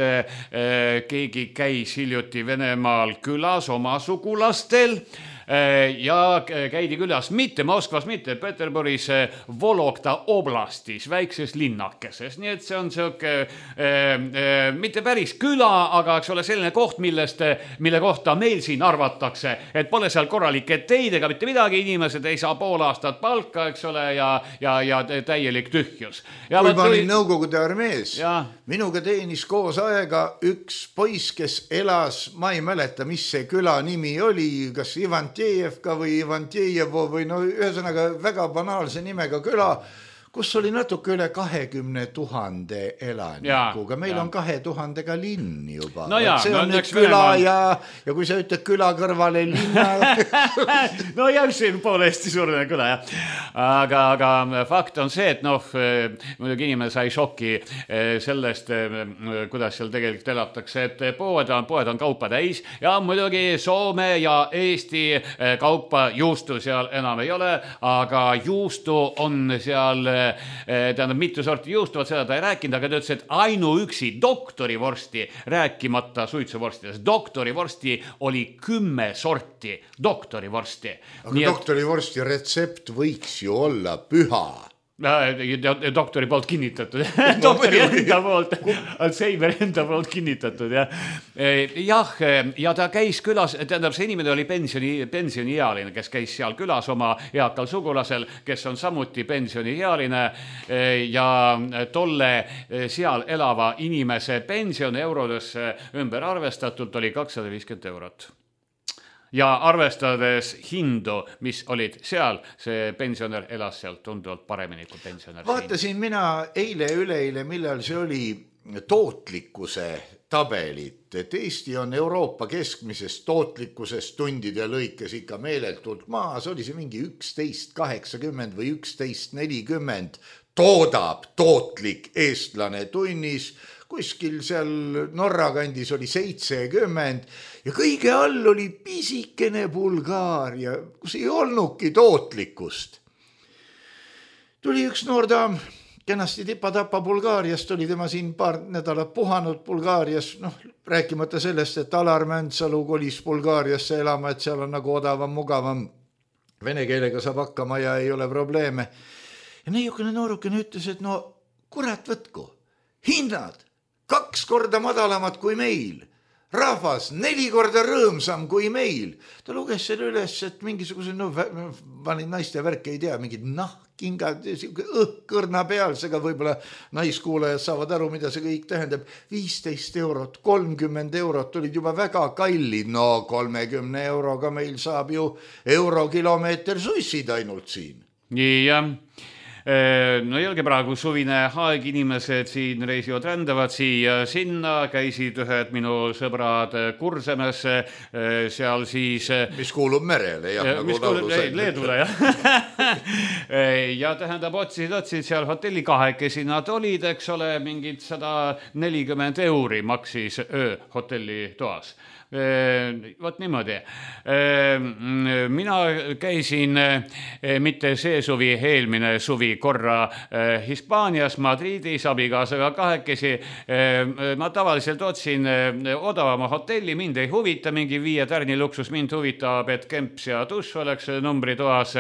keegi käis hiljuti Venemaal külas oma sugulastel ja käidi külas mitte Moskvas, mitte Peterburis, Vologda oblastis, väikses linnakeses. Nii et see on mitte päris küla, aga eks ole selline koht, mille kohta meil siin arvatakse, et pole seal korralikke teid ega mitte midagi, inimesed ei saa pool aastat palka, eks ole, ja täielik tühjus. Kui ma olin Nõukogude armees, minuga teenis koos aega üks poiss, kes elas, ma ei mäleta, mis see küla nimi oli, kas Ivantjevka või Ivantjejevo või ühesõnaga väga banaalse nimega küla, kus oli natuke üle 20 000 elanikuga. Meil on 2000-ga linn juba. See on nüüd küla ja kui sa ütled küla kõrvale linna. No jah, siin poole Eesti suurene küla, jah. Aga fakt on see, et muidugi inimene sai šoki sellest, kuidas seal tegelikult elatakse, et poed on kaupa täis ja muidugi Soome ja Eesti kaupa juustu seal enam ei ole, aga juustu on seal tähendab mitu sorti juustu, seda ta ei rääkinud, aga ta ütles, et ainuüksi doktorivorsti, rääkimata suitsuvorstidest, doktorivorsti oli 10 sorti doktorivorsti. Aga doktorivorsti retsept võiks ju olla püha. Doktori poolt kinnitatud. Doktori enda poolt, Alzheimer enda poolt kinnitatud. Jah, ja ta käis külas, tähendab, see inimene oli pensioniealine, kes käis seal külas oma eakal sugulasel, kes on samuti pensioniealine ja tolle seal elava inimese pension eurodesse ümber arvestatult oli 250 eurot. Ja arvestades hindu, mis olid seal, see pensionär elas seal tunduvalt paremini kui pensionär. Vaatasin mina üleeile, millal see oli tootlikkuse tabelit, et Eesti on Euroopa keskmisest tootlikkusest tundide lõikes ikka meeletult maas, oli see mingi 11.80 või 11.40 toodab tootlik eestlane tunnis, kuskil seal Norra kandis oli 70 ja kõige all oli pisikene Bulgaaria, kus ei olnudki tootlikkust. Tuli üks noor daam, kenasti tipa-tapa Bulgaariast, oli tema siin paar nädalat puhanud Bulgaarias, rääkimata sellest, et Alar Mäntsalu kolis Bulgaariasse elama, et seal on nagu odavam, mugavam, vene keelega saab hakkama ja ei ole probleeme. Ja neiukene noorukene ütles, et no kurat võtku, hinnad 2 korda madalamad kui meil, rahvas 4 korda rõõmsam kui meil. Ta luges selle üles, et mingisuguse, panin naiste värke, ei tea, mingid nahkingad, õhkõrna pealsega, võib-olla naiskuulajad saavad aru, mida see kõik tähendab. 15 eurot, 30 eurot olid juba väga kallid, 30 euroga meil saab ju eurokilomeeter sussid ainult siin. Nii, jah. No jälge praegu suvine aeg, inimesed siin reisivad, rändavad siia sinna, käisid ühed minu sõbrad Kursemes, seal siis mis kuulub merele, jah, nagu laulu sai. Leedule, jah. Ja tähendab, otsid seal hotelli kahekesi nad olid, eks ole, mingid 140 euri maksis öö hotelli toas. Vot niimoodi. Mina käisin mitte see suvi, eelmine suvi korra Hispaanias, Madridis, abikaasaga kahekesi. Ma tavaliselt otsin odavama hotelli, mind ei huvita mingi 5 tärni luksus, mind huvitab, et kemps ja tuss oleks numbritoas.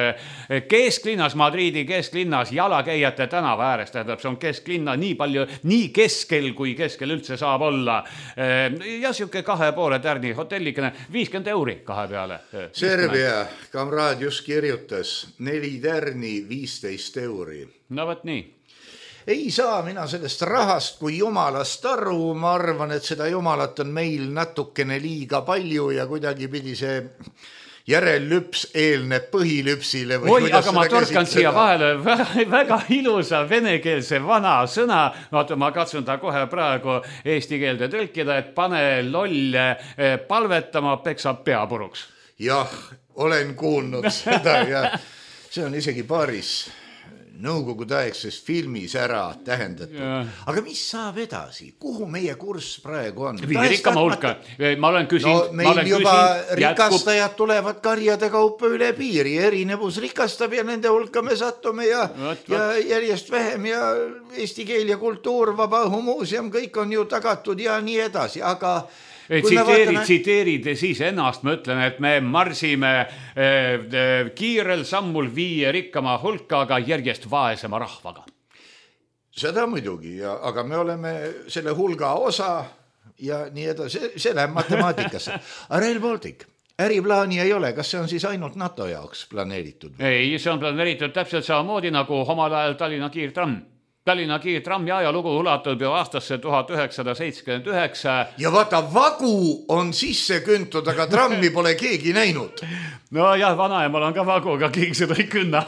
Kesklinnas, Madridi kesklinnas, jalakäijate tänava ääres, tähendab, see on kesklinna nii palju, nii keskel, kui keskel üldse saab olla. Ja siuke 2,5 tärni hotellikene, 50 euri 2 peale. Serbia kamraad just kirjutas 4 tärni 15 euri. No võt nii. Ei saa mina sellest rahast kui jumalast aru, ma arvan, et seda jumalat on meil natukene liiga palju ja kuidagi pidi see järellüps eelneb põhilüpsile. Oi, aga ma torkan siia vahele väga ilusa venekeelse vana sõna. Vaata, ma katsun ta kohe praegu eesti keelde tõlkida, et pane loll palvetama, peksab pea puruks. Jah, olen kuulnud seda ja see on isegi paaris nõukogudeaegses filmis ära tähendatud. Aga mis saab edasi? Kuhu meie kurss praegu on? Rikkama hulka. Ma olen küsinud. No meil juba rikastajad tulevad karjade kaupa üle piiri. Erinevus rikastab ja nende hulka me sattume ja järjest vähem ja eesti keel ja kultuur, Vabaõhumuuseum, kõik on ju tagatud ja nii edasi. Aga tsiteerid siis ennast, ma ütlen, et me marsime kiirel sammul 5 rikkama hulka, aga järjest vaesema rahvaga. Seda muidugi, aga me oleme selle hulga osa ja nii edasi, see läheb matemaatikasse. Rail Baltic, äriplaani ei ole, kas see on siis ainult NATO jaoks planeeritud? Ei, see on planeeritud täpselt samamoodi nagu omal ajal Tallinna kiirtramm. Tallinna kiirtrammi ajalugu ulatub ju aastasse 1979. Ja vaata, vagu on sisse küntud, aga trammi pole keegi näinud. No jah, vanaemal on ka vagu, aga keegi seda ei künna.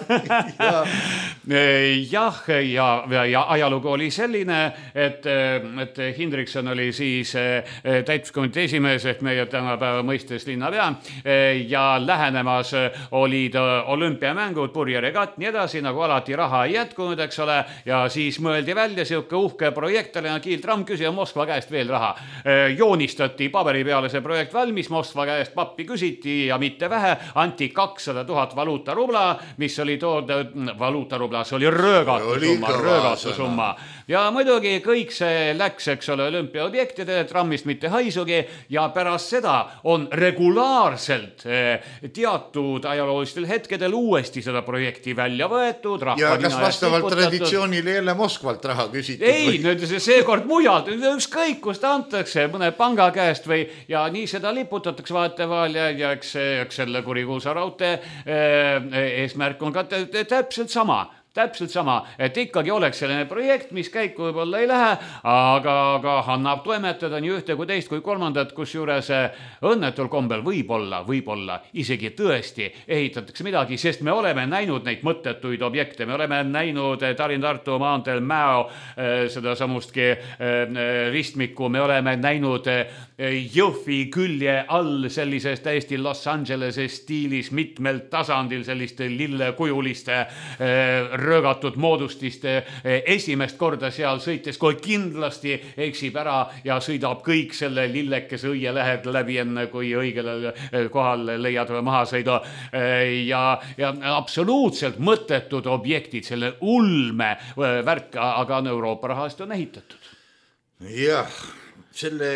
Jah, ja ajalugu oli selline, et Hindrikson oli siis täitskomitee esimees ehk meie tänapäeva mõistes linnapea ja lähenemas olid olümpiamängud, purjeregatt, nii edasi, nagu alati raha ei jätkunud, eks ole, ja siis siis mõeldi välja siuke uhke projekt, Tallinna Kiil-tramm, küsija Moskva käest veel raha. Joonistati paberi peale see projekt valmis, Moskva käest pappi küsiti ja mitte vähe, anti 200 000 valuutarubla, mis oli valuutarubla, see oli röögatu summa. Ja muidugi kõik see läks, eks ole, olümpiaobjektide, trammist mitte haisugi ja pärast seda on regulaarselt teatud ajaloolistel hetkedel uuesti seda projekti välja võetud. Ja kas vastavalt traditsioonile jälle Moskvalt raha küsitud? Ei, nüüd seekord mujalt, ükskõik kust antakse mõne panga käest või ja nii seda liputatakse vaheteval ja eks selle kurikuulsa raudtee eesmärk on ka täpselt sama, et ikkagi oleks selline projekt, mis käiku võib-olla ei lähe, aga annab toimetada nii ühte kui teist kui kolmandat, kus juures õnnetul kombel võib-olla isegi tõesti ehitatakse midagi, sest me oleme näinud neid mõttetuid objekte, me oleme näinud Tallinna-Tartu maanteel Mäo seda samustki ristmikku, me oleme näinud Jõhvi külje all sellises täiesti Los Angelese stiilis mitmel tasandil selliste lillekujuliste röögatud moodustiste esimest korda seal sõites, kui kindlasti eksib ära ja sõidab kõik selle lillekese õie lähed läbi enne, kui õigele kohal leiad maha sõidu. Ja absoluutselt mõttetud objektid, selle ulme värk, aga Euroopa rahast on ehitatud. Jah, selle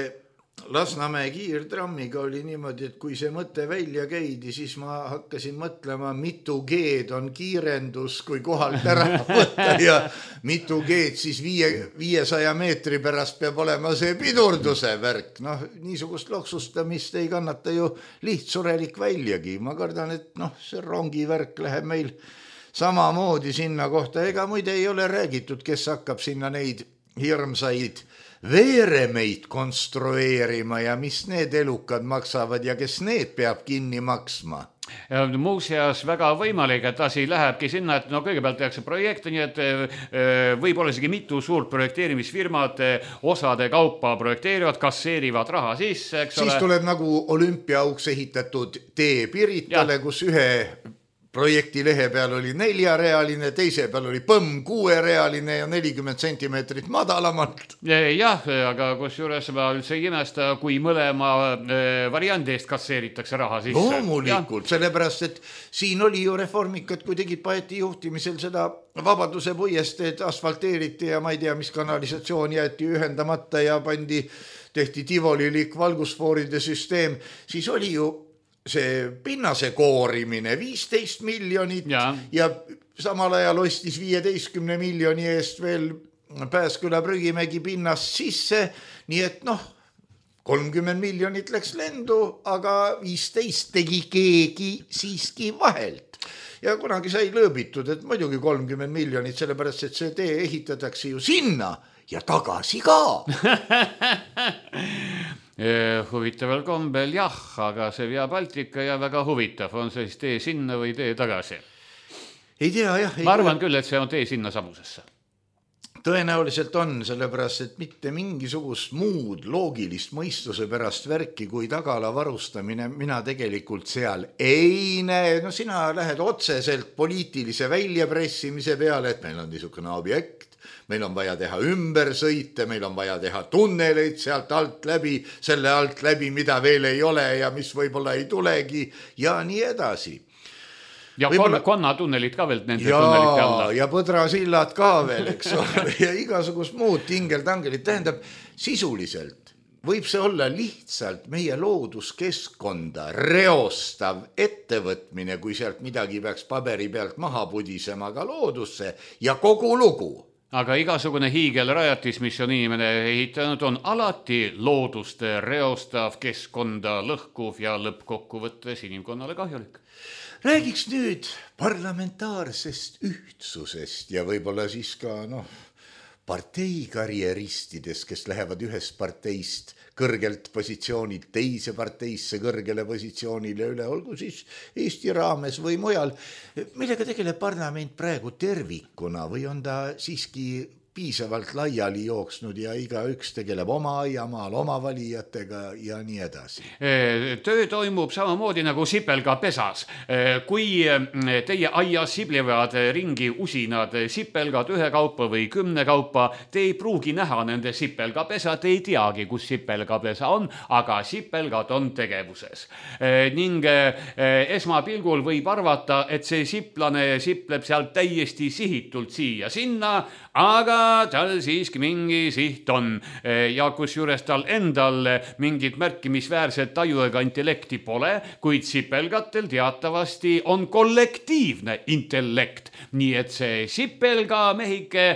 Lasnamäe kiirtrammiga oli niimoodi, et kui see mõte välja käidi, siis ma hakkasin mõtlema, mitu G-d on kiirendus, kui kohalt ära võtta ja mitu G-d siis 500 meetri pärast peab olema see pidurduse värk. Noh, niisugust loksustamist ei kannata ju lihtsurelik väljagi. Ma kardan, et see rongi värk läheb meil samamoodi sinna kohta. Ega muide ei ole räägitud, kes hakkab sinna neid hirmsaid veeremeid konstrueerima ja mis need elukad maksavad ja kes need peab kinni maksma? Ja muuseas väga võimalik, et asi lähebki sinna, et kõigepealt tehakse projekte, nii et võib-olla isegi mitu suurt projekteerimisfirmad osade kaupa projekteerivad, kasseerivad raha sisse, eks ole. Siis tuleb nagu olümpiaauks ehitatud tee Piritale, kus ühe projekti lehe peal oli 4-realine, teise peal oli põmm 6-realine ja 40 sentimeetrit madalamalt. Jah, aga kus juures ma üldse ei imesta, kui mõlema variandi eest kasseeritakse raha sisse. Loomulikult, sellepärast, et siin oli ju reformikad, kui tegid Paeti juhtimisel seda Vabaduse puiesteed asfalteeriti ja ma ei tea, mis kanalisatsioon jäeti ühendamata ja tehti tivolilik valgusfooride süsteem, siis oli ju see pinnase koorimine 15 miljonit ja samal ajal ostis 15 miljoni eest veel Pääsküla Prügimägi pinnast sisse, nii et 30 miljonit läks lendu, aga 15 tegi keegi siiski vahelt. Ja kunagi sai lõõbitud, et muidugi 30 miljonit, sellepärast, et see tee ehitatakse ju sinna ja tagasi ka. Huvitaval kombel jah, aga see Via Baltica ja väga huvitav, on see siis tee sinna või tee tagasi? Ei tea, jah. Ma arvan küll, et see on tee sinna samusesse. Tõenäoliselt on, sellepärast, et mitte mingisugust muud loogilist mõistuse pärast värki kui tagala varustamine mina tegelikult seal ei näe. Sina lähed otseselt poliitilise väljapressimise peale, et meil on niisugune objekt, meil on vaja teha ümbersõite, meil on vaja teha tunneleid sealt alt läbi, selle alt läbi, mida veel ei ole ja mis võib-olla ei tulegi ja nii edasi. Ja konnatunnelid ka veel nende tunnelite alla. Ja põdrasillad ka veel, eks ole, ja igasugust muud tingeltangelit. Tähendab, sisuliselt võib see olla lihtsalt meie looduskeskkonda reostav ettevõtmine, kui sealt midagi peaks paberi pealt maha pudisema ka loodusse ja kogu lugu. Aga igasugune hiigelrajatis, mis on inimene ehitanud, on alati loodust reostav, keskkonda lõhkuv ja lõppkokkuvõttes inimkonnale kahjulik. Räägiks nüüd parlamentaarsest ühtsusest ja võib-olla siis ka parteikarjeristidest, kes lähevad ühest parteist kõrgelt positsioonilt teise parteisse kõrgele positsioonile üle, olgu siis Eesti raames või mujal. Millega tegeleb parlament praegu tervikuna või on ta siiski piisavalt laiali jooksnud ja igaüks tegeleb oma aiamaal, oma valijatega ja nii edasi. Töö toimub samamoodi nagu sipelga pesas. Kui teie aias siblivad ringi usinad sipelgad 1 kaupa või 10 kaupa, te ei pruugi näha nende sipelgapesa, te ei teagi, kus sipelgapesa on, aga sipelgad on tegevuses. Ning esmapilgul võib arvata, et see siplane sipleb sealt täiesti sihitult siia sinna, aga tal siiski mingi siht on ja kusjuures tal endal mingit märkimisväärset taju ega intellekti pole, kuid sipelgatel teatavasti on kollektiivne intellekt, nii et see sipelga mehike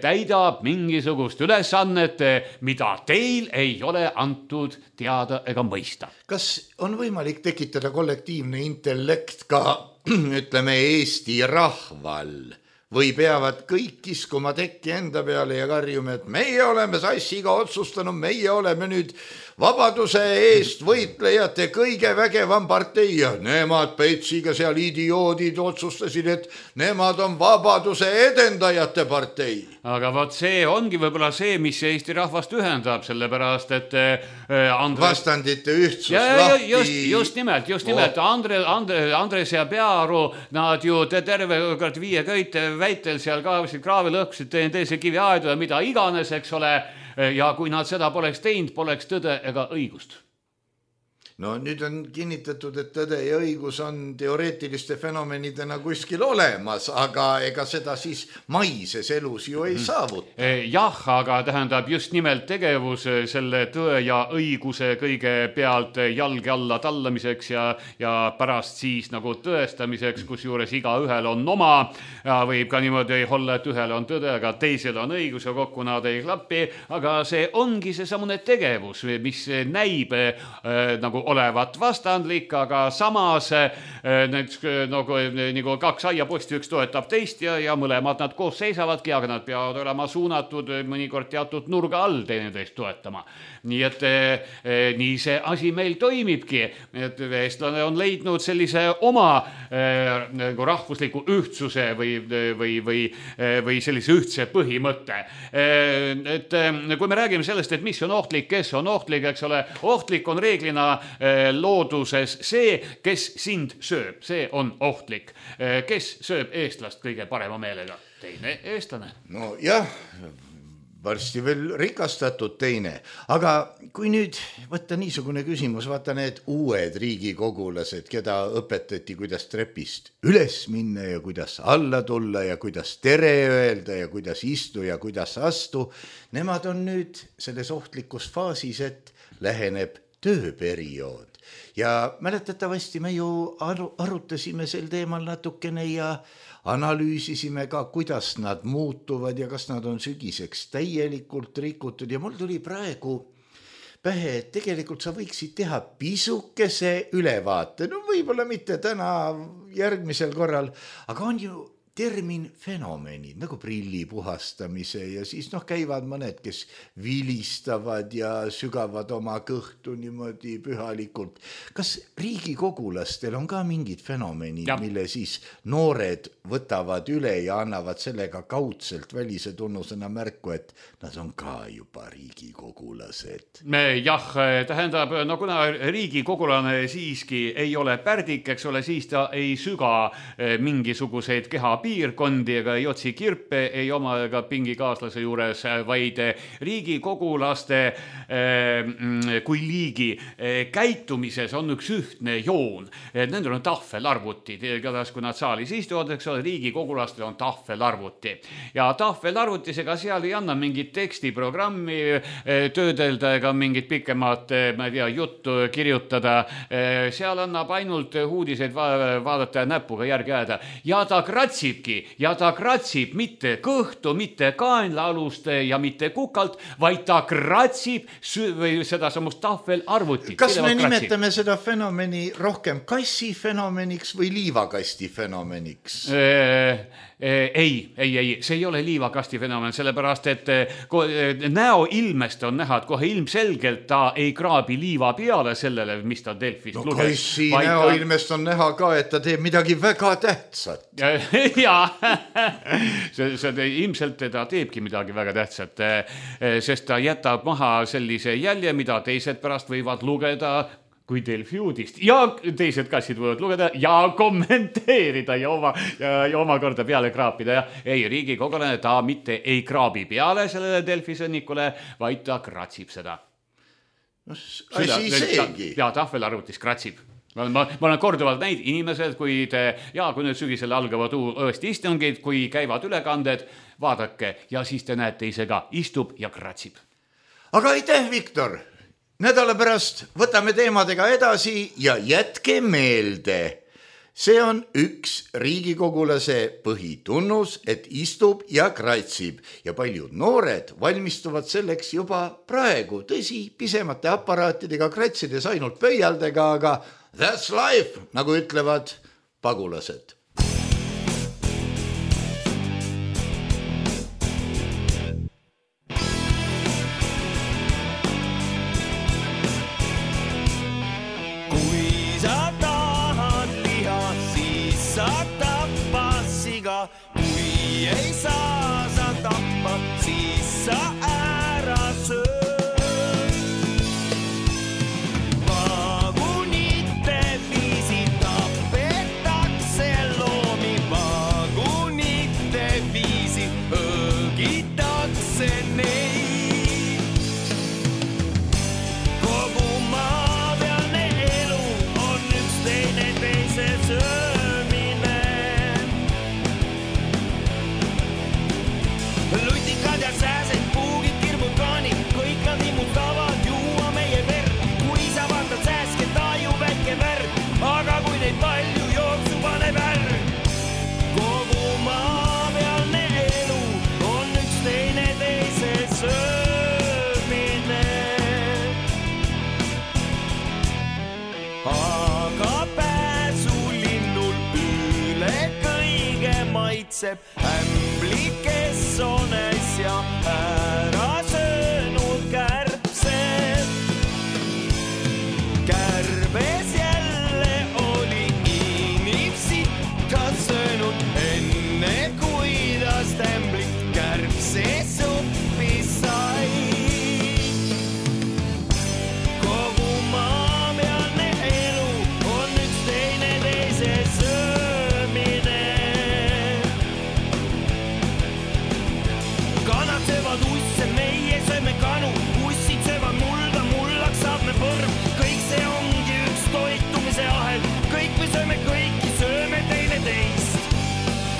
täidab mingisugust ülesannet, mida teil ei ole antud teada ega mõista. Kas on võimalik tekitada kollektiivne intellekt ka, ütleme, Eesti rahval? Või peavad kõik kiskuma tekki enda peale ja karjuma, et meie oleme sassiga otsustanud, meie oleme nüüd vabaduse eest võitlejate kõige vägevam partei ja nemad Petsiga seal idioodid otsustasid, et nemad on vabaduse edendajate partei. Aga võt see ongi võib-olla see, mis Eesti rahvast ühendab, sellepärast, et vastandite ühtsus lahti. Just nimelt. Andres ja Peaaru, nad ju terve 5 köite väitel seal kaevasid kraavi lõhkusid, teise kivi aedu ja mida iganes, eks ole, ja kui nad seda poleks teinud, poleks tõde ega õigust. No nüüd on kinnitatud, et tõde ja õigus on teoreetiliste fenomenidena kuskil olemas, aga ega seda siis maises elus ju ei saavuta. Jah, aga tähendab just nimelt tegevus selle tõe ja õiguse kõige pealt jalge alla tallamiseks ja pärast siis nagu tõestamiseks, kusjuures iga ühel on oma. Ja võib ka niimoodi olla, et ühel on tõde, aga teisel on õigus ja kokku nad ei klappi, aga see ongi see samune tegevus, mis näib nagu olevat vastandlik, aga samas nagu 2 aiaposti, üks toetab teist ja mõlemad nad koos seisavadki, aga nad peavad olema suunatud mõnikord teatud nurga all teineteist toetama. Nii et nii see asi meil toimibki, et eestlane on leidnud sellise oma nagu rahvusliku ühtsuse või sellise ühtse põhimõtte. Et kui me räägime sellest, et mis on ohtlik, kes on ohtlik, eks ole, ohtlik on reeglina looduses see, kes sind sööb, see on ohtlik. Kes sööb eestlast kõige parema meelega? Teine eestlane. No jah, varsti veel rikastatud teine. Aga kui nüüd võtta niisugune küsimus, vaata need uued riigikogulased, keda õpetati, kuidas trepist üles minna ja kuidas alla tulla ja kuidas tere öelda ja kuidas istu ja kuidas astu, nemad on nüüd selles ohtlikus faasis, et läheneb tööperiood. Ja mäletatavasti me ju arutasime sel teemal natukene ja analüüsisime ka, kuidas nad muutuvad ja kas nad on sügiseks täielikult rikutud ja mul tuli praegu pähe, et tegelikult sa võiksid teha pisukese ülevaate, no võib-olla mitte täna, järgmisel korral, aga on ju termin fenomenid, nagu prilli puhastamise ja siis käivad mõned, kes vilistavad ja sügavad oma kõhtu niimoodi pühalikult. Kas riigikogulastel on ka mingid fenomenid, mille siis noored võtavad üle ja annavad sellega kaudselt välise tunnusena märku, et nad on ka juba riigikogulased? Jah, tähendab, no kuna riigikogulane siiski ei ole pärdik, eks ole, siis ta ei süga mingisuguseid keha piirkondi ega ei otsi kirpe, ei oma ega pingikaaslase juures, vaid riigikogulaste kui liigi käitumises on üks ühtne joon. Nendel on tahvelarvutid, kui nad saalis istuvad, eks ole, riigikogulastel on tahvelarvuti. Ja tahvelarvutisega seal ei anna mingit tekstiprogrammi töödelda ega mingit pikemat, ma ei tea, juttu kirjutada. Seal annab ainult uudiseid vaadata ja näpuga järgi ajada. Ja ta kratsib mitte kõhtu, mitte kaenlaalust ja mitte kukalt, vaid ta kratsib seda samust tahvelarvutit. Kas me nimetame seda fenomeni rohkem kassifenomeniks või liivakasti fenomeniks? Ei, see ei ole liivakasti fenomen, sellepärast, et näo ilmest on näha, et kohe ilmselgelt ta ei kraabi liiva peale sellele, mis ta Delfist luges. Kassi näo ilmest on näha ka, et ta teeb midagi väga tähtsat. jaa, see ilmselt ta teebki midagi väga tähtsat, sest ta jätab maha sellise jälje, mida teised pärast võivad lugeda kui Delfi uudist ja teised kassid võivad lugeda ja kommenteerida ja omakorda peale kraapida. Ja ei, riigikogulane ta mitte ei kraabi peale sellele Delfi sõnnikule, vaid ta kratsib seda. Asi seegi. Ja tahvelarvutis kratsib. Ma olen korduvalt näid inimesed, kui nüüd sügisel algavad õesti istungid, kui käivad ülekanded, vaadake ja siis te näete ise ka, istub ja kratsib. Aga aitäh, Viktor! Nädala pärast võtame teemadega edasi ja jätke meelde. See on üks riigikogulase põhitunnus, et istub ja kratsib ja paljud noored valmistuvad selleks juba praegu. Tõsi, pisemate aparaatidega kratsides ainult pöialdega, aga that's life, nagu ütlevad pagulased. Kui sa tahad liha, siis sa tappa siga. Kui ei saa sa tappa, siis sa ära söö. Ämbli, kes on äsja ära söönud kärbsed. Kärbes jälle oli inimsitta söönud, enne kui tast ämblit kärbse suppi sai. Kogu maapealne elu on üks teine teise söömine. Kanad söövad usse, meie sööme kanu, ussid söövad mulda, mullaks saab me põrm. Kõik see ongi üks toitumise ahel, kõik me sööme kõiki, sööme teine teist.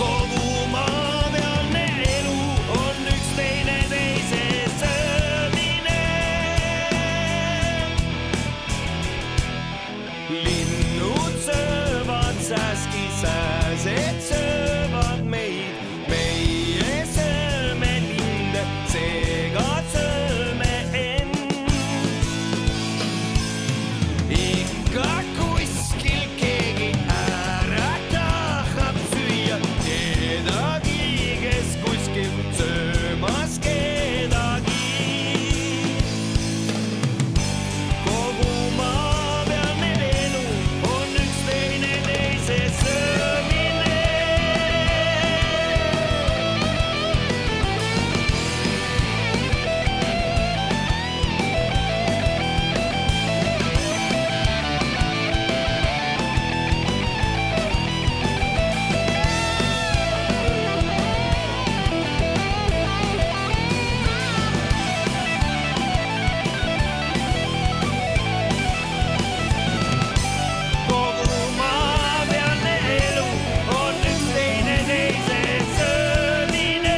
Kogu maapealne elu on üks teine teise söömine. Linnud söövad säski, sääsed söövad meid. Meie sööme linde, seega sööme end. Ikka kuskil keegi ära tahab süüa kedagi, kes kuskil söömas kedagi. Kogu maapealne elu on üks teine teise söömine. Kogu maapealne elu on üks teine teise söömine.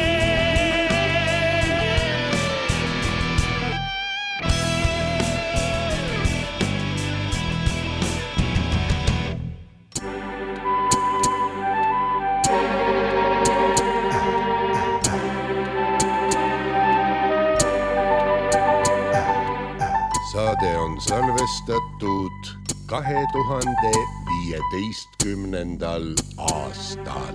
Saade on salvestatud 2015. aastal.